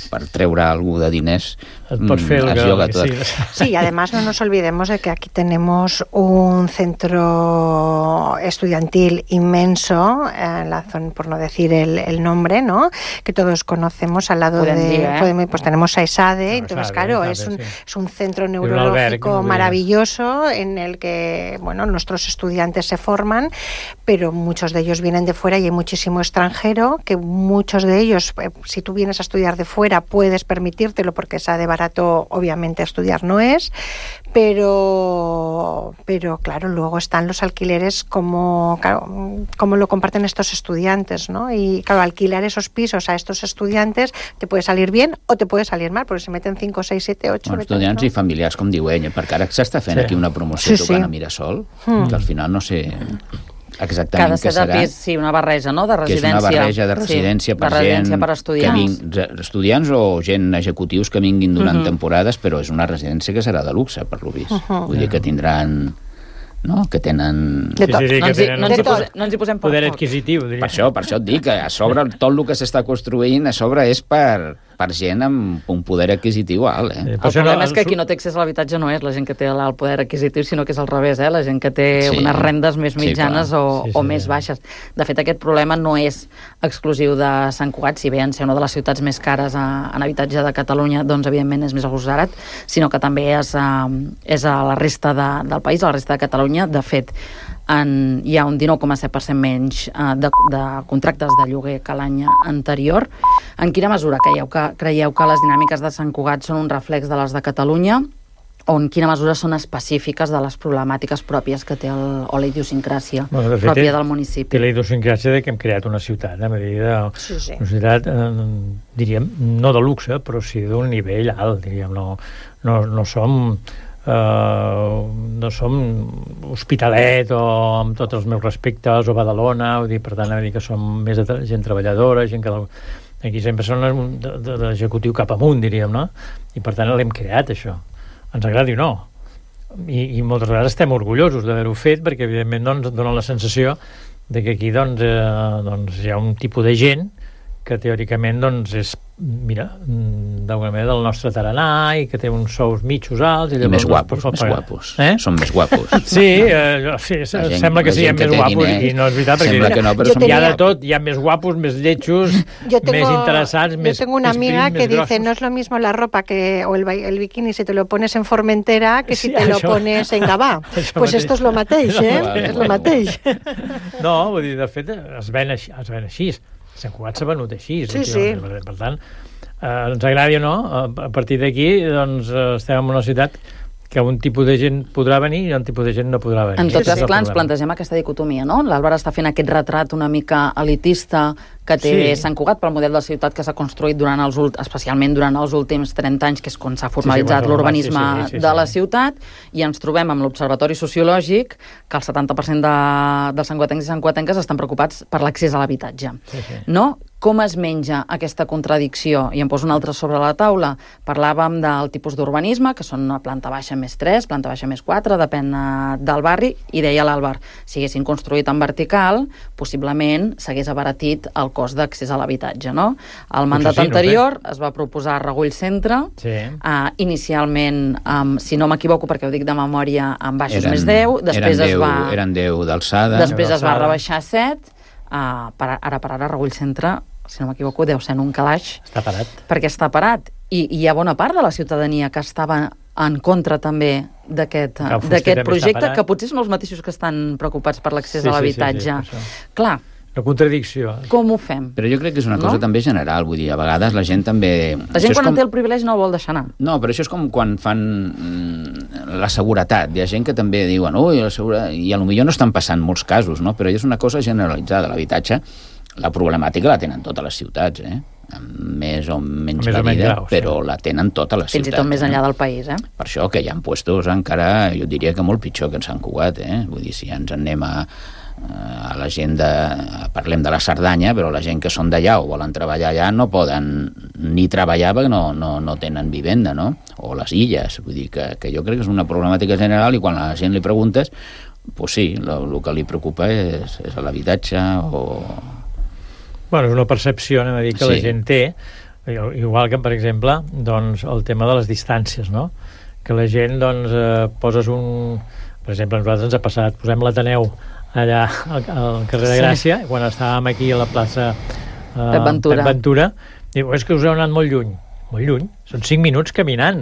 per treure alguna de diners, Et pots fer el es que- juga que tot. sigui. Sí, y además no nos olvidemos de que aquí tenemos un centro estudiantil inmenso, en la zona, por no decir el, el nombre, ¿no? Que todos conocemos al lado Podem de... dir, eh? podemos- pues tenemos a ESADE, Ah, entonces ESADE, claro, ESADE, es un, sí. es un centro un albergue, neurológico como diría. maravilloso en el que, bueno, nuestros estudiantes se forman, pero muchos de ellos vienen de fuera y hay muchísimo extranjero, que muchos de ellos, eh, si tú vienes a estudiar de fuera, puedes permitírtelo porque ESADE barato obviamente estudiar no es, pero pero claro, luego están los alquileres como, claro, como lo comparten estos estudiantes, ¿no? Y claro, alquilar esos pisos a estos estudiantes te puede salir bien o te puede salir mal, porque se meten cinco, seis, siete, ocho... Bueno, estudiants i familiars, com diu ell, perquè ara s'està fent Sí. aquí una promoció Sí, tocant sí. a Mirasol, Mm. que al final no sé que ha exactament de què ser de serà, pis, sí, una barreja, no?, de que és residència. una barreja de residència sí, per de residència gent per estudiants. que ving, estudiants o gent executius que vinguin durant Mhm. temporades, però és una residència que serà de luxe, per lo vist. Mhm. Vull dir que tindran no? Que tenen... De tot. Sí, sí, sí, no, ens hi, no, ens hi posem, no ens hi posem poder adquisitiu, diria. Per això, per això et dic que a sobre tot el que s'està construint a sobre és per, per gent amb un poder adquisitiu alt. Eh? El problema és que qui no té accés a l'habitatge no és la gent que té el poder adquisitiu, sinó que és al revés, eh? La gent que té sí. unes rendes més mitjanes sí, o, sí, sí, o més sí. baixes. De fet, aquest problema no és exclusiu de Sant Cugat, si bé en ser una de les ciutats més cares a, en habitatge de Catalunya, doncs evidentment és més agossarat, sinó que també és a, és a la resta de, del país, a la resta de Catalunya. De fet, en, hi ha un dinou coma set per cent menys uh, de, de contractes de lloguer que l'any anterior. En quina mesura creieu que, creieu que les dinàmiques de Sant Cugat són un reflex de les de Catalunya, o en quina mesura són específiques de les problemàtiques pròpies que té el, o la idiosincràsia bueno, de fet, pròpia del municipi? Té la idiosincràsia de que hem creat una ciutat, a medida de, sí, sí. una ciutat, eh, diríem, no de luxe, però sí d'un nivell alt, diríem, no, no, no som... Uh, no som Hospitalet o amb tots els meus respectes o Badalona, vull dir, per tant, vull dir que som més de gent treballadora, gent que aquí sempre són de, de, de l'executiu cap amunt, diríem, no? I per tant l'hem creat, això. Ens agradi o no. I, i moltes vegades estem orgullosos d'haver-ho fet perquè, evidentment, doncs, dona la sensació de que aquí doncs, eh, doncs, hi ha un tipus de gent que teòricament doncs, és, mira, d'alguna manera del nostre tarannà i que té uns sous mitjos alts. I, I més guapos, més guapos. Eh? Són més guapos. Sí, eh, sí gent, sembla que siguem més guapos diners, i no és veritat, perquè no, hi ha de tot, hi ha més guapos, més lletjos, tengo, més interessants, yo més Yo tengo una amiga prim, que dice, grossos. no es lo mismo la ropa que, o el, el bikini si te lo pones en Formentera que si sí, te això, lo pones en Gavà. Pues mateix. Esto es lo mateix, eh? No, és lo mateix. No, vull dir, de fet, es ven així. Es ven així. Sant Cugat s'ha venut així. Sí, sí. Per, per tant, eh, ens agradi o no, a partir d'aquí doncs, estem en una ciutat que un tipus de gent podrà venir i un tipus de gent no podrà venir. En tot cas, clar, ens plantegem aquesta dicotomia, no? L'Àlvaro està fent aquest retrat una mica elitista que té sí. Sant Cugat pel model de ciutat que s'ha construït durant els especialment durant els últims trenta anys, que és quan s'ha formalitzat sí, sí, l'urbanisme sí, sí, sí, sí, de la ciutat, i ens trobem amb l'Observatori Sociològic que el setanta per cent de, dels santcugatencs i santcugatenques estan preocupats per l'accés a l'habitatge. Sí, sí. No? Com es menja aquesta contradicció? I em poso una altra sobre la taula. Parlàvem del tipus d'urbanisme, que són una planta baixa més tres, planta baixa més quatre, depèn del barri, i deia l'Àlvar, si haguessin construït en vertical, possiblement s'hagués abaratit el cost d'accés a l'habitatge, no? El mandat sí, anterior no es va proposar a Regull Centre, sí. uh, inicialment, um, si no m'equivoco, perquè ho dic de memòria, amb baixos eren, més deu, després eren es va... Eren deu d'alçada. Després es va rebaixar a set, uh, per, ara per ara Regull Centre, si no m'equivoco, deu ser en un calaix. Està parat. Perquè està parat. I, i hi ha bona part de la ciutadania que estava en contra també d'aquest projecte, que potser són els mateixos que estan preocupats per l'accés sí, a l'habitatge. Sí, sí, sí, clar. La contradicció. Com ho fem? Però jo crec que és una cosa no? també general, vull dir, a vegades la gent també... La gent quan com... té el privilegi no el vol deixar anar. No, però això és com quan fan la seguretat. Hi ha gent que també diuen, ui, la seguretat... I a lo millor no estan passant molts casos, no? Però és una cosa generalitzada. L'habitatge, la problemàtica la tenen totes les ciutats, eh? Amb més o menys més medida, o menys grau, però sí. la tenen totes les Fins ciutats. Fins i tot més enllà eh? del país, eh? Per això que hi ha puestos encara, jo diria que molt pitjor que en Sant Cugat, eh? Vull dir, si ens en anem a, a la gent de... Parlem de la Cerdanya, però la gent que són d'allà o volen treballar allà no poden ni treballar perquè no, no, no tenen vivenda, no? O les illes, vull dir que, que jo crec que és una problemàtica general i quan a la gent li preguntes, pues sí, el que li preocupa és, és l'habitatge o... Bueno, és una percepció, anem a dir, que sí. la gent té, igual que, per exemple, doncs, el tema de les distàncies, no? Que la gent, doncs, eh, poses un... Per exemple, a nosaltres ens ha passat, posem l'Ateneu allà al, al carrer de Gràcia, sí. quan estàvem aquí a la plaça eh, Pep Ventura. Pep Ventura, diu, és que us heu anat molt lluny. Molt lluny? Són cinc minuts caminant.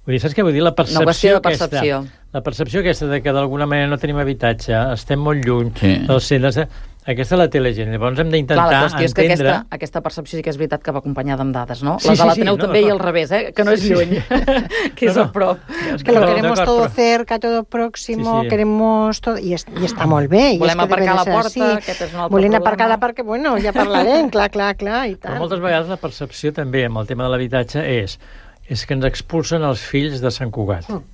Vull dir, saps què vull dir? La percepció, no, qüestió de percepció. Aquesta, la percepció aquesta de que d'alguna manera no tenim habitatge, estem molt lluny sí. dels centres... Aquesta la té la gent, llavors hem d'intentar entendre... Clar, la qüestió és que aquesta, aquesta percepció sí que és veritat que va acompanyada amb dades, no? Sí, les de l'Ateneu sí, sí, també no, i al revés, eh? Que no és lluny, que és no, no. a prop. Es que lo no, queremos todo però... cerca, todo próximo, sí, sí. queremos todo... I, es, i està molt bé. Volem es que aparcar a la porta, sí. aquest és un altre Volem problema. aparcar a la porta, bueno, ja parlarem, clar, clar, clar, i tant. Però moltes vegades la percepció també amb el tema de l'habitatge és, és que ens expulsen els fills de Sant Cugat. Mm.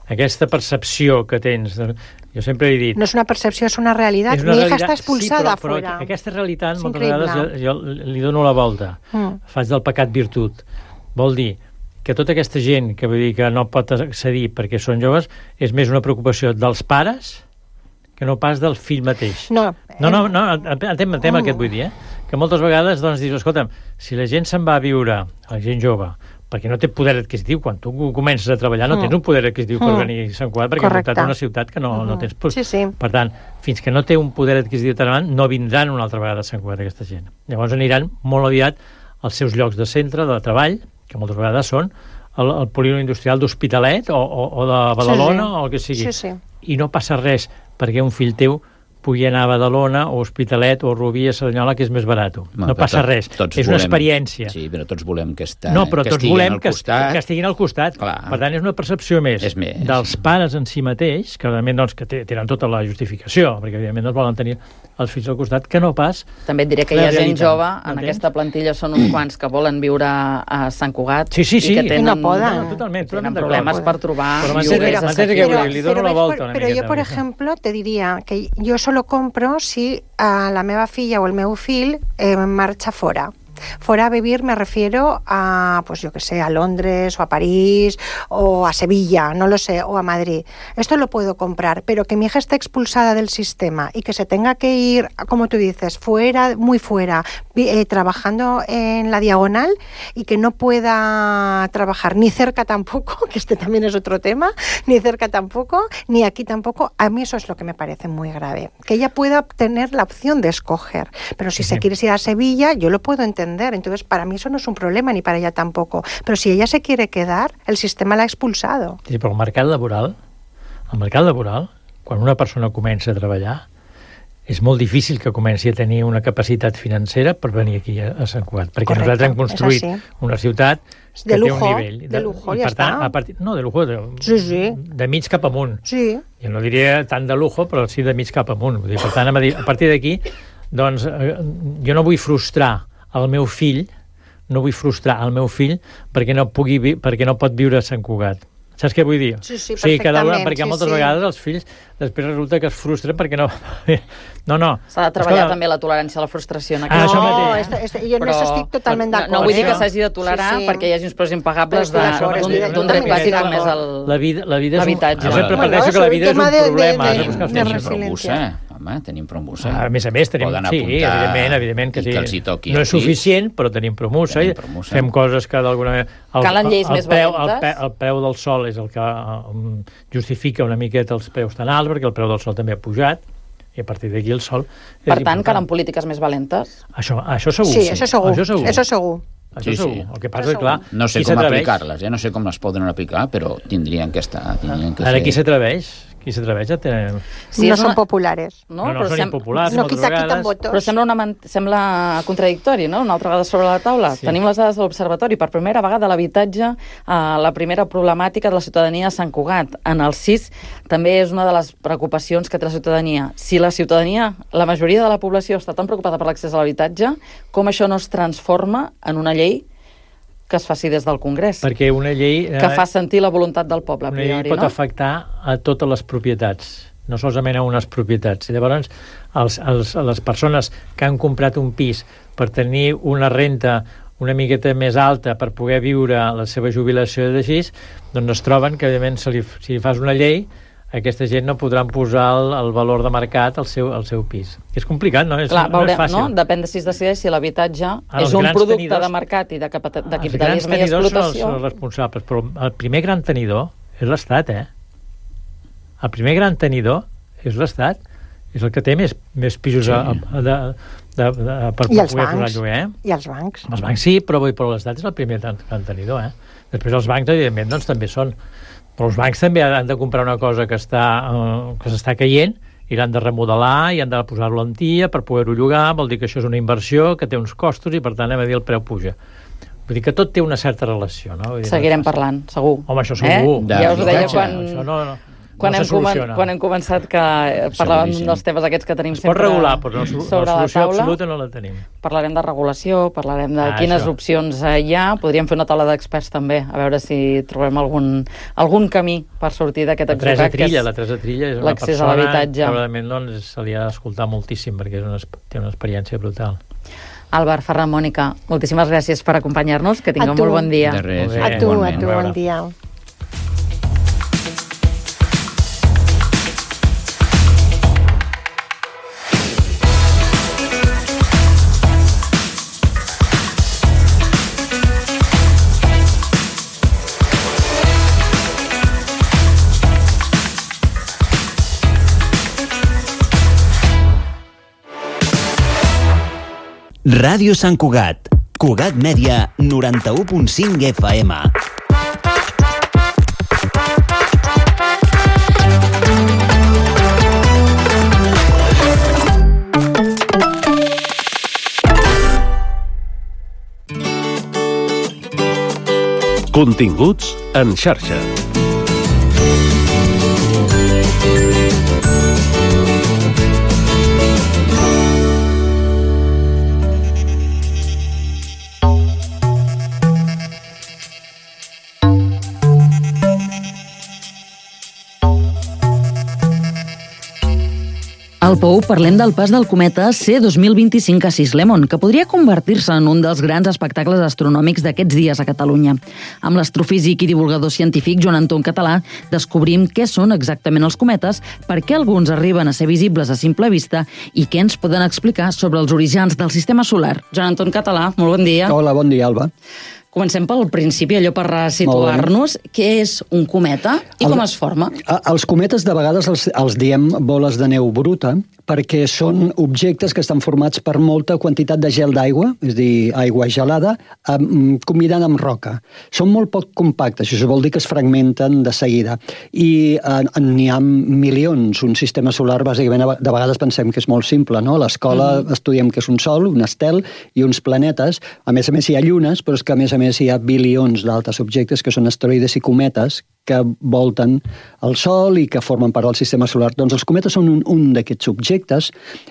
Aquesta percepció que tens, jo sempre he dit... No és una percepció, és una realitat. És una Mi realitat, hija està expulsada sí, però, però fora. Aquesta realitat, és moltes increïble. Vegades, jo, jo li dono la volta. Mm. Faig del pecat virtut. Vol dir que tota aquesta gent que vull dir que no pot accedir perquè són joves és més una preocupació dels pares que no pas del fill mateix. No, no, no, no entenc el tema que et vull dir, eh? Que moltes vegades doncs, dius, escolta'm, si la gent se'n va a viure, la gent jove, perquè no té poder adquisitiu, quan tu comences a treballar no mm. tens un poder adquisitiu mm. per venir a Sant Cugat, perquè Correcte. has muntat una ciutat que no, mm. no tens... Sí, sí. Per tant, fins que no té un poder adquisitiu tan avant, no vindran una altra vegada a Sant Cugat aquesta gent. Llavors aniran molt aviat als seus llocs de centre, de treball, que moltes vegades són el, el polígon industrial d'Hospitalet o, o, o de Badalona sí, sí. o el que sigui. Sí, sí. I no passa res perquè un fill teu pugui anar a Badalona o Hospitalet o Rubí a Cerdanyola, que és més barat. No, no passa tot, res. És volem, una experiència. Sí, però tots volem que, està, no, però que tots estiguin volem al costat. Que, que estiguin al costat. Clar. Per tant, és una percepció més, és més dels pares en si mateix, que evidentment doncs, que tenen tota la justificació, perquè evidentment doncs, volen tenir els fills al costat, que no pas... També et diré que hi ha gent jove, en aquesta plantilla són uns quants que volen viure a Sant Cugat sí, sí, sí. i que tenen, no poden. No, totalment, tenen problemes per trobar... Però, però, però, li dono la volta. Pero yo, por ejemplo, te diría que yo solo compro si a la meva filla o el meu fill eh, marxa fora. Fuera a vivir me refiero a, pues yo que sé, a Londres o a París o a Sevilla, no lo sé, o a Madrid. Esto lo puedo comprar, pero que mi hija esté expulsada del sistema y que se tenga que ir, como tú dices, fuera, muy fuera, eh, trabajando en la diagonal y que no pueda trabajar ni cerca tampoco, que este también es otro tema, ni cerca tampoco, ni aquí tampoco, a mí eso es lo que me parece muy grave. Que ella pueda tener la opción de escoger, pero si sí. se quiere ir a Sevilla, yo lo puedo entender. Entonces, para mí eso no es un problema, ni para ella tampoco. Pero si ella se quiere quedar, el sistema l'ha expulsado. Sí, però el mercat laboral, el mercat laboral, quan una persona comença a treballar, és molt difícil que comenci a tenir una capacitat financera per venir aquí a, a Sant Cugat, perquè Correcte, nosaltres hem construït una ciutat que de lujo, té un nivell. De, de lujo, i ja per tant, està. a partir, no, de lujo, de, sí, sí. de mig cap amunt. Sí. Jo no diria tant de lujo, però sí de mig cap amunt. Vull dir, per tant, a partir d'aquí, doncs, jo no vull frustrar el meu fill, no vull frustrar el meu fill perquè no pugui perquè no pot viure a Sant Cugat. Saps què vull dir? Sí, sí, o sigui, que perfectament. Perquè sí, moltes sí. vegades els fills després resulta que es frustren perquè no... No, no. S'ha de treballar Escolta... també la tolerància a la frustració en aquest ah, no, mateix. Este, este, jo no estic totalment d'acord. No, no vull dir eh? que s'hagi de tolerar sí, sí. perquè hi hagi uns preus impagables d'un dret bàsic com és l'habitatge. La vida és un... sempre preteixo que la vida és un problema. De, de, de, de resiliència. Home, tenim promoció. A més a més, tenim, sí, evidentment, evidentment que sí. Que els hi toqui no és suficient, però tenim promoció. Fem coses que d'alguna manera... Calen lleis més valentes. El preu del sol és el que justifica una miqueta els preus tan alts, perquè el preu del sol també ha pujat, i a partir d'aquí el sol... Per tant, calen polítiques més valentes? Això, això segur. Sí, això segur. Això segur. Això segur. Això sí, sí. El que passa és, clar... No sé com aplicar-les, eh? no sé com les poden aplicar, però tindrien que estar... Tindrien que Ara ser... qui s'atreveix? Qui s'atreveix a tenir... Sí, no són una... populares. No, no, no són sem... impopulars, no, moltes quita, vegades. Votos. Però sembla, una man... sembla contradictori, no? Una altra vegada sobre la taula. Sí. Tenim les dades de l'Observatori. Per primera vegada l'habitatge, eh, la primera problemàtica de la ciutadania a Sant Cugat. En el sis també és una de les preocupacions que té la ciutadania. Si la ciutadania, la majoria de la població està tan preocupada per l'accés a l'habitatge, com això no es transforma en una llei que es faci des del Congrés. Perquè una llei... Eh, que fa sentir la voluntat del poble, a priori, una llei pot no? afectar a totes les propietats, no solament a unes propietats. I llavors, els, els, les persones que han comprat un pis per tenir una renta una miqueta més alta per poder viure la seva jubilació d'així, doncs es troben que, evidentment, si li, si li fas una llei, aquesta gent no podran posar el, el valor de mercat al seu, al seu pis. És complicat, no? És, Clar, veurem, no és fàcil. No? Depèn de si es decideix si l'habitatge ah, és un producte tenidors, de mercat i de, de capitalisme i explotació. Els grans tenidors són els, els responsables, però el primer gran tenidor és l'Estat, eh? El primer gran tenidor és l'Estat. És el que té més, més pisos sí. a, a, de, de, de, per I poder els posar bancs. lloguer. I els bancs. Els bancs sí, però, però l'Estat és el primer gran tenidor, eh? Després els bancs, evidentment, doncs, també són... Però els bancs també han de comprar una cosa que està uh, que s'està caient i l'han de remodelar i han de posar-lo en tia per poder-ho llogar, vol dir que això és una inversió que té uns costos i per tant hem de dir el preu puja. Vull dir que tot té una certa relació, no? Vull dir, Seguirem no parlant, segur. Home, això segur. Eh? Ja us ho deia quan... Això no, no. Quan, no hem comen, quan hem començat que parlàvem dels temes aquests que tenim es sempre pot regular, però no, sobre la la solució taula. absoluta no la tenim. Parlarem de regulació, parlarem de ah, quines això. opcions hi ha. Podríem fer una taula d'experts també, a veure si trobem algun, algun camí per sortir d'aquest atzucac. La Teresa Trilla, la Teresa Trilla és una persona a que probablement doncs, se li ha d'escoltar moltíssim perquè és una, té una experiència brutal. Àlvar, Ferran, Mònica, moltíssimes gràcies per acompanyar-nos, que tingueu molt bon dia. De res, A tu, a tu, bon dia. Ràdio Sant Cugat. Cugat Mèdia, noranta-u punt cinc F M. Continguts en xarxa. Al Pou parlem del pas del cometa C dos mil vint-i-cinc a sis Lemon, que podria convertir-se en un dels grans espectacles astronòmics d'aquests dies a Catalunya. Amb l'astrofísic i divulgador científic Joan Anton Català descobrim què són exactament els cometes, per què alguns arriben a ser visibles a simple vista i què ens poden explicar sobre els orígens del sistema solar. Joan Anton Català, molt bon dia. Hola, bon dia, Alba. Comencem pel principi, allò per situar-nos. Què és un cometa i com es forma? Els cometes de vegades els, els diem boles de neu bruta perquè són objectes que estan formats per molta quantitat de gel d'aigua, és a dir, aigua gelada, combinada amb roca. Són molt poc compactes, això vol dir que es fragmenten de seguida. I eh, n'hi ha milions. Un sistema solar, bàsicament, de vegades pensem que és molt simple, no? A l'escola mm. estudiem que és un sol, un estel i uns planetes. A més a més hi ha llunes, però és que a més a més hi ha bilions d'altres objectes que són asteroides i cometes que volten el Sol i que formen part del sistema solar. Doncs els cometes són un, un d'aquests objectes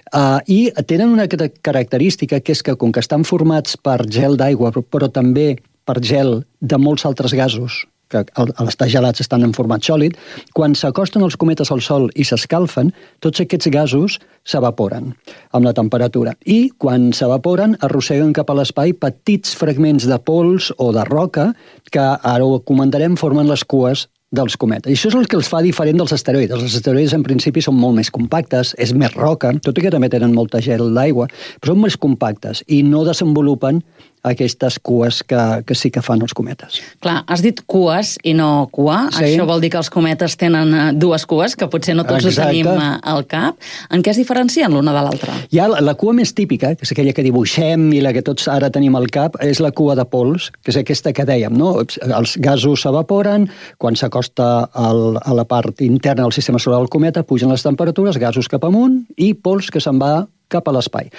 uh, i tenen una característica que és que com que estan formats per gel d'aigua però també per gel de molts altres gasos que al estar gelats estan en format sòlid, quan s'acosten els cometes al Sol i s'escalfen, tots aquests gasos s'evaporen amb la temperatura. I quan s'evaporen arrosseguen cap a l'espai petits fragments de pols o de roca que, ara ho comentarem, formen les cues dels cometes. I això és el que els fa diferent dels asteroides. Els asteroides en principi són molt més compactes, és més roca, tot i que també tenen molta gel d'aigua, però són més compactes i no desenvolupen aquestes cues que, que sí que fan els cometes. Clar, has dit cues i no cua. Sí. Això vol dir que els cometes tenen dues cues, que potser no tots Exacte. Ho tenim al cap. En què es diferencien l'una de l'altra? Hi ha la, la cua més típica, que és aquella que dibuixem i la que tots ara tenim al cap, és la cua de pols, que és aquesta que dèiem, no? Els gasos s'evaporen, quan s'acosta al, a la part interna del sistema solar del cometa, pugen les temperatures, gasos cap amunt i pols que se'n va cap a l'espai.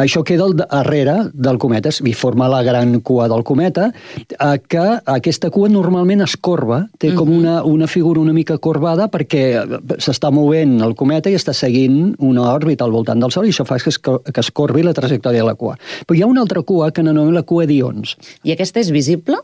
Això queda al darrere del cometa, i forma la gran cua del cometa, que aquesta cua normalment es corba, té com una, una figura una mica corbada perquè s'està movent el cometa i està seguint una òrbita al voltant del Sol i això fa que es, que es corbi la trajectòria de la cua. Però hi ha una altra cua que n'anomena la cua d'Ions. I aquesta és visible?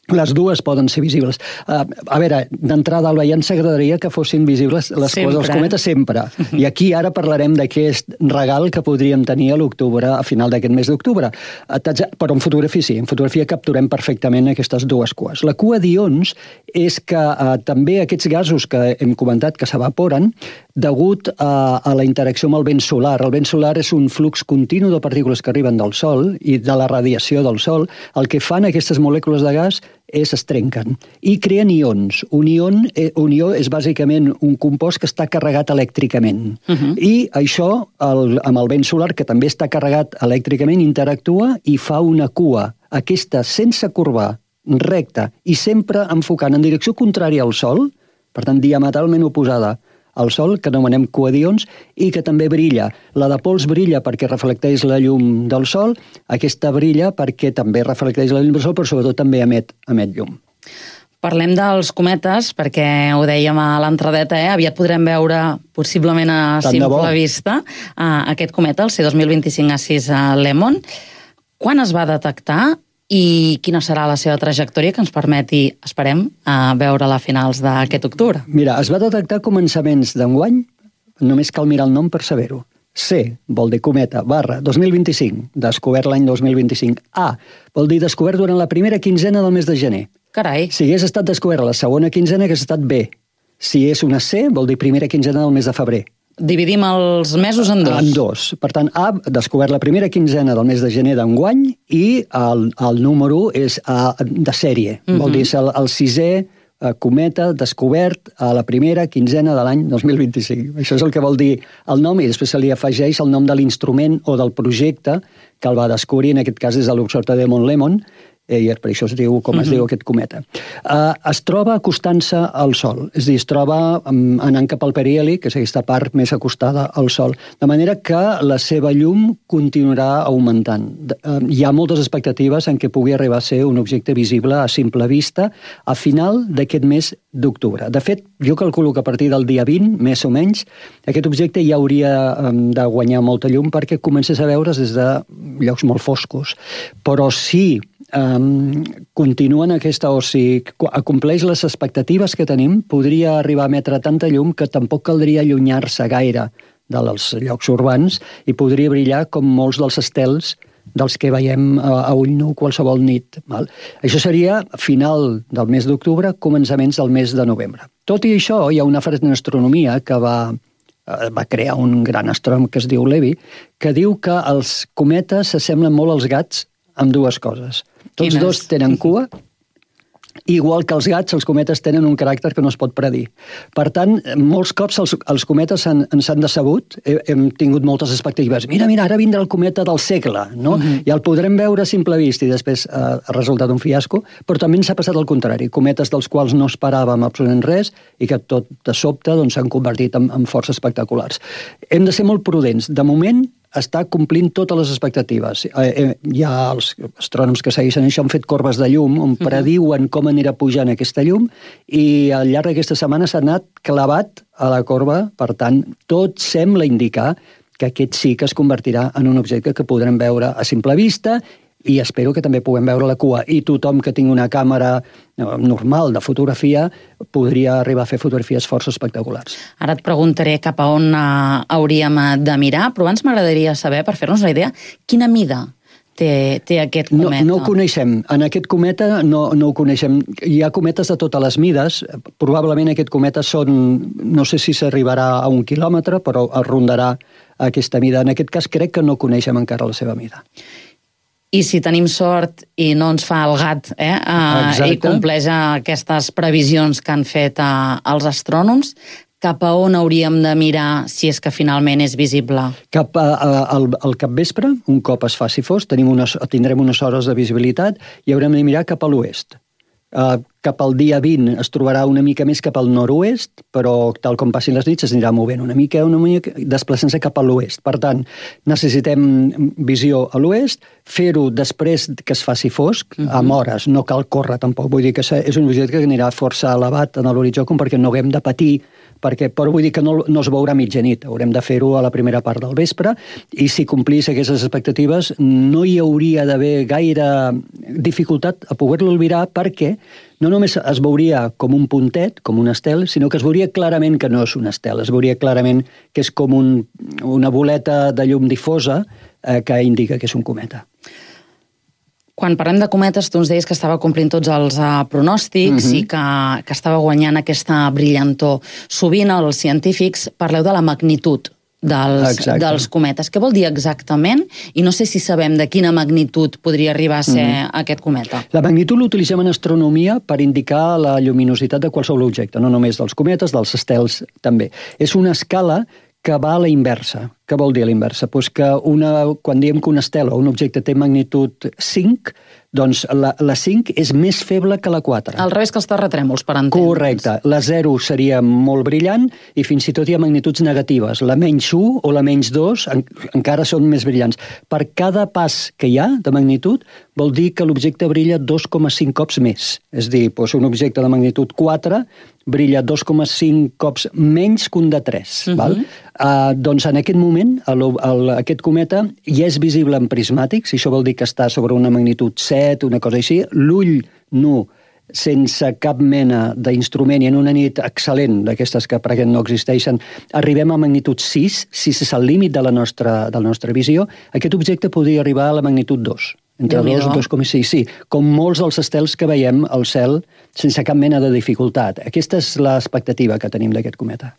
Les dues poden ser visibles. Uh, a veure, d'entrada, Alba, ja ens agradaria que fossin visibles les sempre. Cues dels cometes sempre. I aquí ara parlarem d'aquest regal que podríem tenir a l'octubre, a final d'aquest mes d'octubre. Uh, però en fotografia sí, en fotografia capturem perfectament aquestes dues cues. La cua d'ions és que uh, també aquests gasos que hem comentat que s'evaporen degut a, a la interacció amb el vent solar. El vent solar és un flux continu de partícules que arriben del Sol i de la radiació del Sol. El que fan aquestes molècules de gas és es trenquen i creen ions. Un ion, eh, un ió és bàsicament un compost que està carregat elèctricament. Uh-huh. I això, el, amb el vent solar, que també està carregat elèctricament, interactua i fa una cua. Aquesta sense corbar, recta i sempre enfocant en direcció contrària al Sol, per tant diametralment oposada al Sol, que anomenem cua d'ions, i que també brilla. La de pols brilla perquè reflecteix la llum del Sol, aquesta brilla perquè també reflecteix la llum del Sol, però sobretot també emet, emet llum. Parlem dels cometes, perquè ho dèiem a l'entradeta, eh? Aviat podrem veure, possiblement a Tant simple vista, uh, aquest cometa, el C dos mil vint-i-cinc A sis Lemon. Quan es va detectar i quina serà la seva trajectòria que ens permeti, esperem, a veure-la a finals d'aquest octubre? Mira, es va detectar a començaments d'enguany, només cal mirar el nom per saber-ho. C vol dir cometa, barra, dos mil vint-i-cinc, descobert l'any dos mil vint-i-cinc. A vol dir descobert durant la primera quinzena del mes de gener. Carai. Si hagués estat descobert a la segona quinzena, hagués estat B. Si és una C, vol dir primera quinzena del mes de febrer. Dividim els mesos en dos. En dos. Per tant, A, descobert la primera quinzena del mes de gener d'enguany i el, el número és A, de sèrie. Uh-huh. Vol dir és el, el sisè eh, cometa descobert a la primera quinzena de l'any dos mil vint-i-cinc. Això és el que vol dir el nom i després se li afegeix el nom de l'instrument o del projecte que el va descobrir, en aquest cas és l'Observatori de Mont Lemmon, i per això es diu com es uh-huh. diu aquest cometa. Uh, es troba acostant-se al Sol, és a dir, es troba um, anant cap al periheli, que és aquesta part més acostada al Sol, de manera que la seva llum continuarà augmentant. Uh, hi ha moltes expectatives en què pugui arribar a ser un objecte visible a simple vista a final d'aquest mes d'octubre. De fet, jo calculo que a partir del dia vint, més o menys, aquest objecte ja hauria um, de guanyar molta llum perquè comences a veure's des de llocs molt foscos. Però si Um, continuen aquesta, o si acompleix les expectatives que tenim, podria arribar a emetre tanta llum que tampoc caldria allunyar-se gaire dels llocs urbans i podria brillar com molts dels estels dels que veiem a, a ull nu qualsevol nit. Val? Això seria final del mes d'octubre, començaments del mes de novembre. Tot i això, hi ha una frase en astronomia que va, va crear un gran astrònom que es diu Levy, que diu que els cometes s'assemblen molt als gats amb dues coses. Tots Quines? Dos tenen cua, igual que els gats, els cometes tenen un caràcter que no es pot predir. Per tant, molts cops els, els cometes han, ens han decebut, hem tingut moltes expectatives. Mira, mira, ara vindrà el cometa del segle, no? Uh-huh. I el podrem veure a simple vista i després eh, ha resultat un fiasco, però també ens ha passat el contrari. Cometes dels quals no esperàvem absolutament res i que tot de sobte s'han doncs, convertit en, en força espectaculars. Hem de ser molt prudents. De moment, està complint totes les expectatives. Hi ha els astrònoms que segueixen això, han fet corbes de llum on prediuen com anirà pujant aquesta llum i al llarg d'aquesta setmana s'ha anat clavat a la corba, per tant, tot sembla indicar que aquest sí que es convertirà en un objecte que podrem veure a simple vista i espero que també puguem veure la cua. I tothom que tingui una càmera normal de fotografia podria arribar a fer fotografies força espectaculars. Ara et preguntaré cap a on uh, hauríem de mirar, però abans m'agradaria saber, per fer-nos una idea, quina mida té, té aquest cometa? No, no ho coneixem. En aquest cometa no, no ho coneixem. Hi ha cometes de totes les mides. Probablement aquest cometa són, no sé si s'arribarà a un quilòmetre, però es rondarà aquesta mida. En aquest cas crec que no coneixem encara la seva mida. I si tenim sort i no ens fa el gat eh, eh, i compleix aquestes previsions que han fet eh, els astrònoms, cap a on hauríem de mirar si és que finalment és visible? Cap a, a, al, al capvespre, un cop es faci fos, tenim unes, tindrem unes hores de visibilitat i haurem de mirar cap a l'oest. Uh, cap al dia vint es trobarà una mica més cap al nord-oest, però tal com passin les nits es anirà movent una mica, una mica desplaçant-se cap a l'oest. Per tant, necessitem visió a l'oest, fer-ho després que es faci fosc, uh-huh. amb hores, no cal córrer tampoc. Vull dir que és un objecte que anirà força elevat en l'horitzó com perquè no haguem de patir, perquè, però vull dir que no, no es veurà mitjanit, haurem de fer-ho a la primera part del vespre i si complís aquestes expectatives no hi hauria d'haver gaire dificultat a poder-lo albirar perquè no només es veuria com un puntet, com un estel, sinó que es veuria clarament que no és un estel, es veuria clarament que és com un, una boleta de llum difosa eh, que indica que és un cometa. Quan parlem de cometes, tu ens deies que estava complint tots els uh, pronòstics uh-huh. i que, que estava guanyant aquesta brillantor. Sovint els científics parleu de la magnitud dels, dels cometes. Què vol dir exactament? I no sé si sabem de quina magnitud podria arribar a ser uh-huh. aquest cometa. La magnitud l'utilitzem en astronomia per indicar la lluminositat de qualsevol objecte, no només dels cometes, dels estels també. És una escala que va a la inversa. Què vol dir a la inversa? Pues que una, quan diem que un estel o un objecte té magnitud cinc, doncs la, la cinc és més feble que la quatre. Al revés que els terratrèmols, per entendre'ns. Correcte. La zero seria molt brillant i fins i tot hi ha magnituds negatives. La menys u o la menys dos en, encara són més brillants. Per cada pas que hi ha de magnitud vol dir que l'objecte brilla dos coma cinc cops més. És a dir, doncs un objecte de magnitud quatre brilla dos coma cinc cops menys que un de tres. Uh-huh. Val? Uh, doncs en aquest moment el, el, aquest cometa ja és visible en prismàtics, i això vol dir que està sobre una magnitud set, una cosa així. L'ull nu sense cap mena d'instrument i en una nit excel·lent, d'aquestes que per aquest no existeixen, arribem a magnitud sis, sis és el límit de la nostra, de la nostra visió, aquest objecte podria arribar a la magnitud dos. Entre dos i dos coma sis, sí, com molts dels estels que veiem al cel sense cap mena de dificultat. Aquesta és l'expectativa que tenim d'aquest cometa.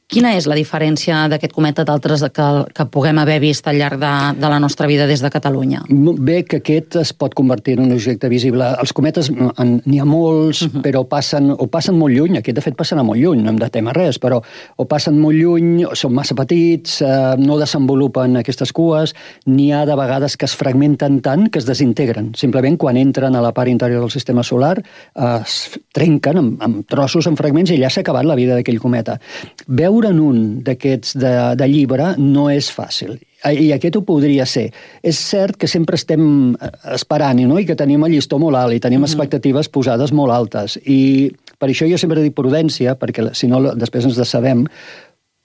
Quina és la diferència d'aquest cometa d'altres que, que puguem haver vist al llarg de, de la nostra vida des de Catalunya? Bé, que aquest es pot convertir en un objecte visible. Els cometes n'hi ha molts, uh-huh. però passen, o passen molt lluny, aquest de fet passarà molt lluny, no hem de témer res, però o passen molt lluny, o són massa petits, eh, no desenvolupen aquestes cues, n'hi ha de vegades que es fragmenten tant que es desintegren. Simplement quan entren a la part interior del sistema solar eh, es trenquen amb, amb trossos, amb fragments, i ja s'ha acabat la vida d'aquell cometa. Veure en un d'aquests de, de llibre no és fàcil. I aquest ho podria ser. És cert que sempre estem esperant, no? I que tenim el llistó molt alt i tenim uh-huh. expectatives posades molt altes. I per això jo sempre dic prudència, perquè si no després ens decebem,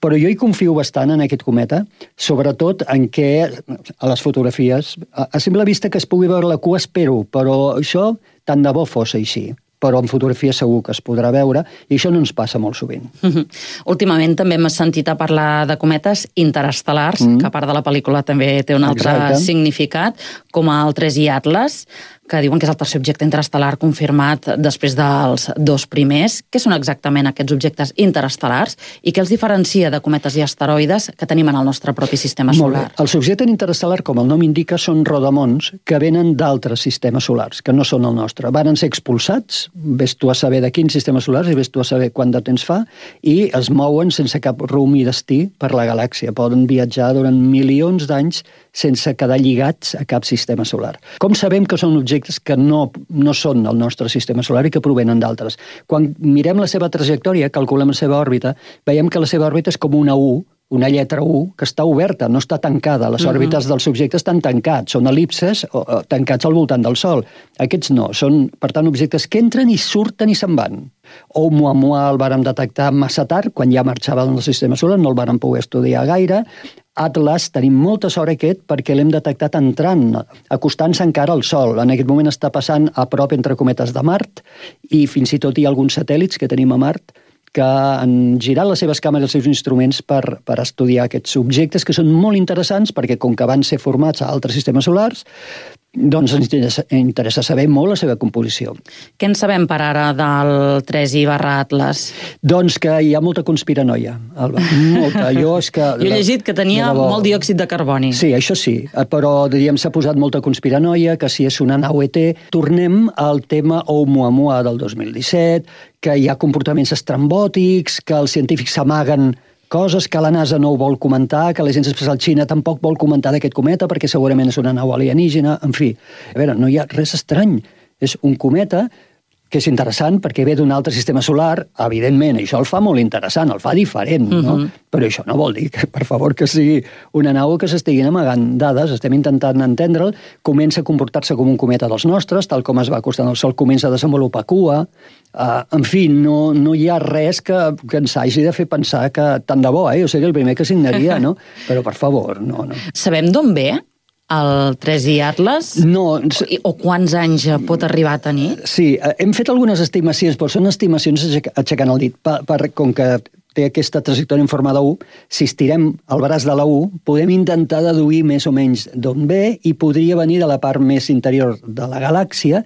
però jo hi confio bastant en aquest cometa, sobretot en què, a les fotografies, a simple vista que es pugui veure la cua, espero, però això tant de bo fos així. Però en fotografia segur que es podrà veure, i això no ens passa molt sovint. Uh-huh. Últimament també hem sentit a parlar de cometes interestel·lars, mm. que a part de la pel·lícula també té un altre Exacte. significat, com el tres i Atlas, que diuen que és el tercer objecte interestel·lar confirmat després dels dos primers. Què són exactament aquests objectes interestel·lars i què els diferencia de cometes i asteroides que tenim en el nostre propi sistema solar? Molt bé. Els objectes interestel·lars, com el nom indica, són rodamons que venen d'altres sistemes solars, que no són el nostre. Varen ser expulsats, ves tu a saber de quins sistemes solars i ves tu a saber quant de temps fa, i es mouen sense cap rumb i destí per la galàxia. Poden viatjar durant milions d'anys sense quedar lligats a cap sistema solar. Com sabem que són objectes que no, no són del nostre sistema solar i que provenen d'altres? Quan mirem la seva trajectòria, calculem la seva òrbita, veiem que la seva òrbita és com una U, una lletra U, que està oberta, no està tancada. Les uh-huh. òrbites dels objectes estan tancats, són el·lipses o, o, tancats al voltant del Sol. Aquests no, són, per tant, objectes que entren i surten i se'n van. Oumuamua el vàrem detectar massa tard, quan ja marxava del sistema solar, no el vàrem poder estudiar gaire. Atlas, tenim molta sort aquest perquè l'hem detectat entrant, acostant-se encara al Sol. En aquest moment està passant a prop entre cometes de Mart i fins i tot hi ha alguns satèl·lits que tenim a Mart que han girat les seves càmeres i els seus instruments per, per estudiar aquests objectes que són molt interessants perquè com que van ser formats a altres sistemes solars, doncs ens interessa, interessa saber molt la seva composició. Què en sabem per ara del tres i barra Atlas? Doncs que hi ha molta conspiranoia, Alba. Molta. Jo, és que, jo he llegit que tenia la, molt diòxid de carboni. Sí, això sí, però diríem s'ha posat molta conspiranoia, que si és una nau E T. Tornem al tema Oumuamua del dos mil disset, que hi ha comportaments estrambòtics, que els científics s'amaguen coses que la NASA no ho vol comentar, que l'Agència Espacial Xina tampoc vol comentar d'aquest cometa perquè segurament és una nau alienígena, en fi. A veure, no hi ha res estrany. És un cometa que és interessant perquè ve d'un altre sistema solar, evidentment, això el fa molt interessant, el fa diferent, no? Uh-huh. Però això no vol dir que, per favor, que sigui una nau que s'estiguin amagant dades, estem intentant entendre'l, comença a comportar-se com un cometa dels nostres, tal com es va acostant al Sol, comença a desenvolupar cua, uh, en fi, no, no hi ha res que, que ens hagi de fer pensar que tant de bo, eh? Jo seria el primer que signaria, no? Però, per favor, no, no. Sabem d'on ve el tres i Atlas? No. O quants anys pot arribar a tenir? Sí, hem fet algunes estimacions, però són estimacions aixecant el dit. Per, per, com que té aquesta trajectòria en forma de U, si estirem el braç de la U, podem intentar deduir més o menys d'on ve i podria venir de la part més interior de la galàxia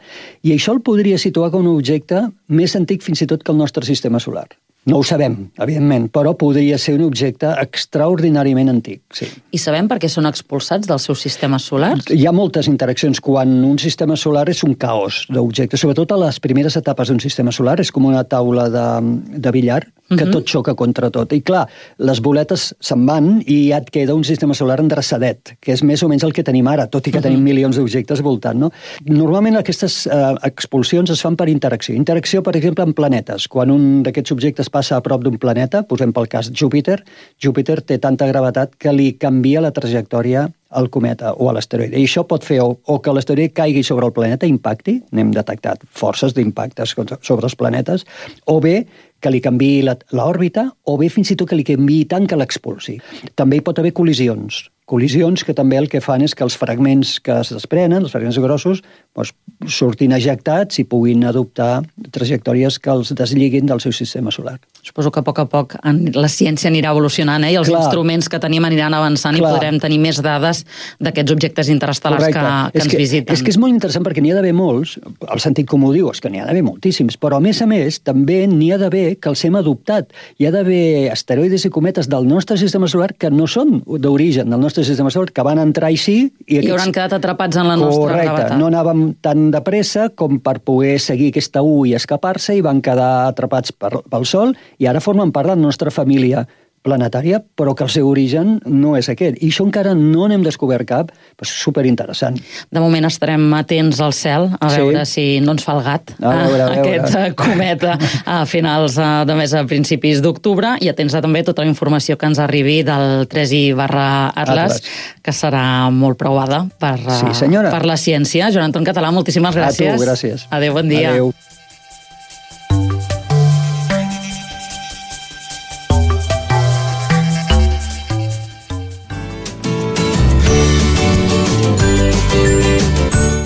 i això el podria situar com un objecte més antic fins i tot que el nostre sistema solar. No ho sabem, evidentment, però podria ser un objecte extraordinàriament antic, sí. I sabem per què són expulsats dels seus sistemes solars? Hi ha moltes interaccions. Quan un sistema solar és un caos d'objectes, sobretot a les primeres etapes d'un sistema solar, és com una taula de, de billar, que uh-huh. tot xoca contra tot. I clar, les boletes se'n van i ja et queda un sistema solar endreçadet, que és més o menys el que tenim ara, tot i que uh-huh. tenim milions d'objectes voltant, no? Normalment aquestes eh, expulsions es fan per interacció. Interacció, per exemple, en planetes. Quan un d'aquests objectes passa a prop d'un planeta, posem pel cas Júpiter, Júpiter té tanta gravetat que li canvia la trajectòria al cometa o a l'asteroide. I això pot fer o, o que l'asteroide caigui sobre el planeta i impacti, n'hem detectat forces d'impactes sobre els planetes, o bé que li canviï l'òrbita, o bé fins i tot que li canviï tant que l'expulsi. També hi pot haver col·lisions. col·lisions que també el que fan és que els fragments que es desprenen, els fragments grossos, doncs, surtin ejectats i puguin adoptar trajectòries que els desliguin del seu sistema solar. Suposo que a poc a poc la ciència anirà evolucionant, eh? I els Clar. instruments que tenim aniran avançant Clar. i podrem tenir més dades d'aquests objectes interestel·lars que, que ens que, visiten. És que és molt interessant perquè n'hi ha d'haver molts, el sentit comú diu, és que n'hi ha d'haver moltíssims, però a més a més també n'hi ha d'haver que els hem adoptat. Hi ha d'haver asteroides i cometes del nostre sistema solar que no són d'origen del nostre sistema solar, que van entrar així i, I hauran quedat atrapats en la nostra Correcte. gravetat. No anàvem tan de pressa com per poder seguir aquesta U i escapar-se i van quedar atrapats per, pel Sol i ara formen part de la nostra família planetària, però que el seu origen no és aquest. I això encara no n'hem descobert cap, però és superinteressant. De moment estarem atents al cel, a sí. veure si no ens fa el gat a veure, a veure. aquest cometa a finals de mes, a principis d'octubre, i atents a també tota la informació que ens arribi del tres i barra Atlas, Atlas, que serà molt provada per, sí, senyora. per la ciència. Joan Anton Català, moltíssimes gràcies. A tu, gràcies. Adéu, bon dia. Adéu.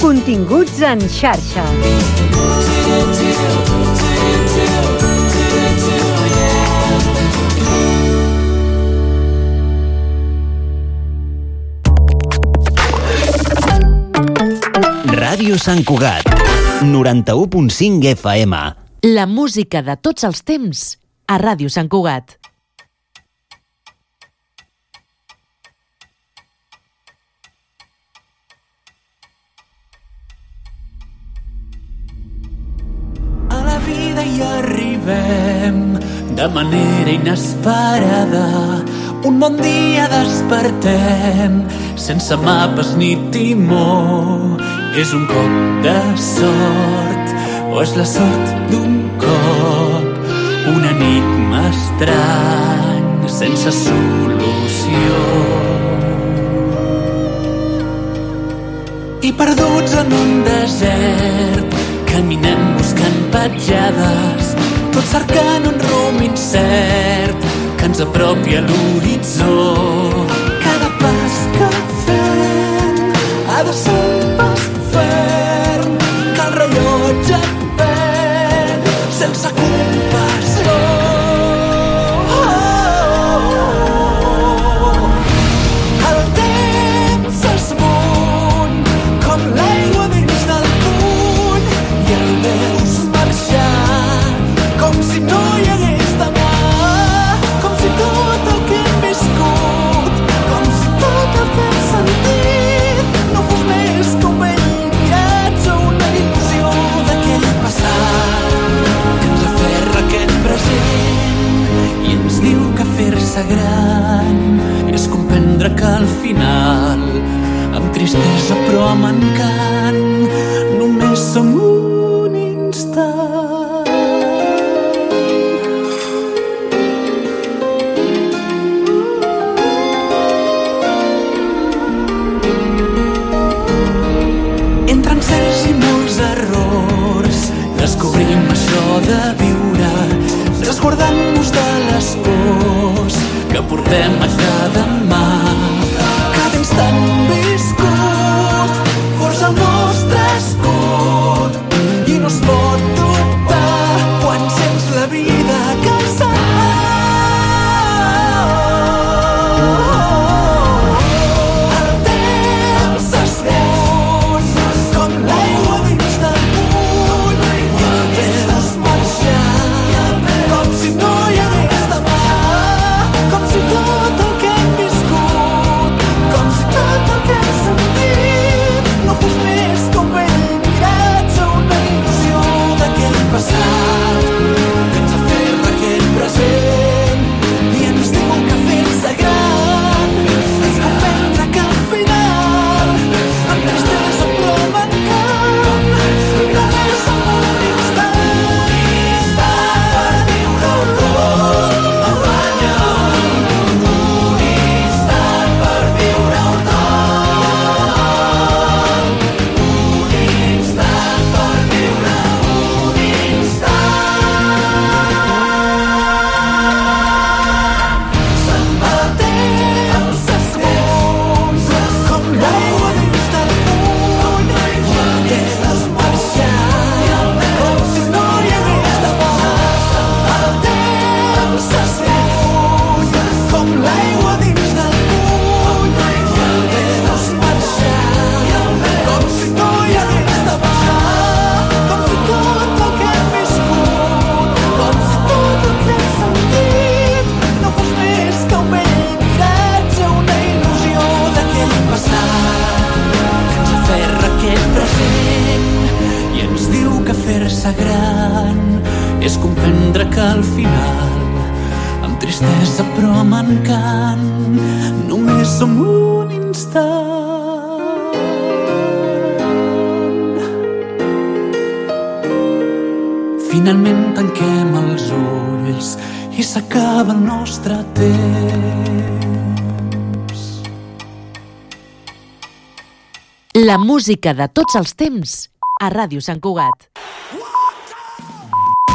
Continguts en xarxa. Ràdio Sant Cugat, noranta-u punt cinc F M. La música de tots els temps a Ràdio Sant Cugat. I arribem de manera inesperada. Un bon dia despertem sense mapes ni timó. És un cop de sort o és la sort d'un cop, un enigma estrany sense solució. I perduts en un desert caminem buscant petjades, tot cercant un rumb incert que ens apropi a l'horitzó. Cada pas que fem ha de ser un pas ferm, que el rellotge perd sense compassió. El temps s'esmuny com l'aigua dins del puny i el veus marxar com si no hi hagués demà, com si tot el que hem viscut, com si tot el que hem sentit no fos més que un vell viatge, una il·lusió d'aquell passat que ens aferra aquest present i ens diu que fer-se gran és comprendre que al final, amb tristesa però amb encant, només som un instant. Entre encerts i molts errors descobrim això de viure, resguardant-nos de les pors que portem a cada mà. Cada instant viscut forja el nostre escut i no es pot dubtar quan sents la vida que se'n va. El temps s'esmuny com l'aigua dins del puny i el veus marxar com si no hi hagués demà, com si tot el que hem viscut, com si tot el que hem sentit no fos més que un vell miratge, una il·lusió d'aquest és comprendre que al final, amb tristesa però amb encant, només som un instant. Finalment tanquem els ulls i s'acaba el nostre temps. La música de tots els temps a Ràdio Sant Cugat.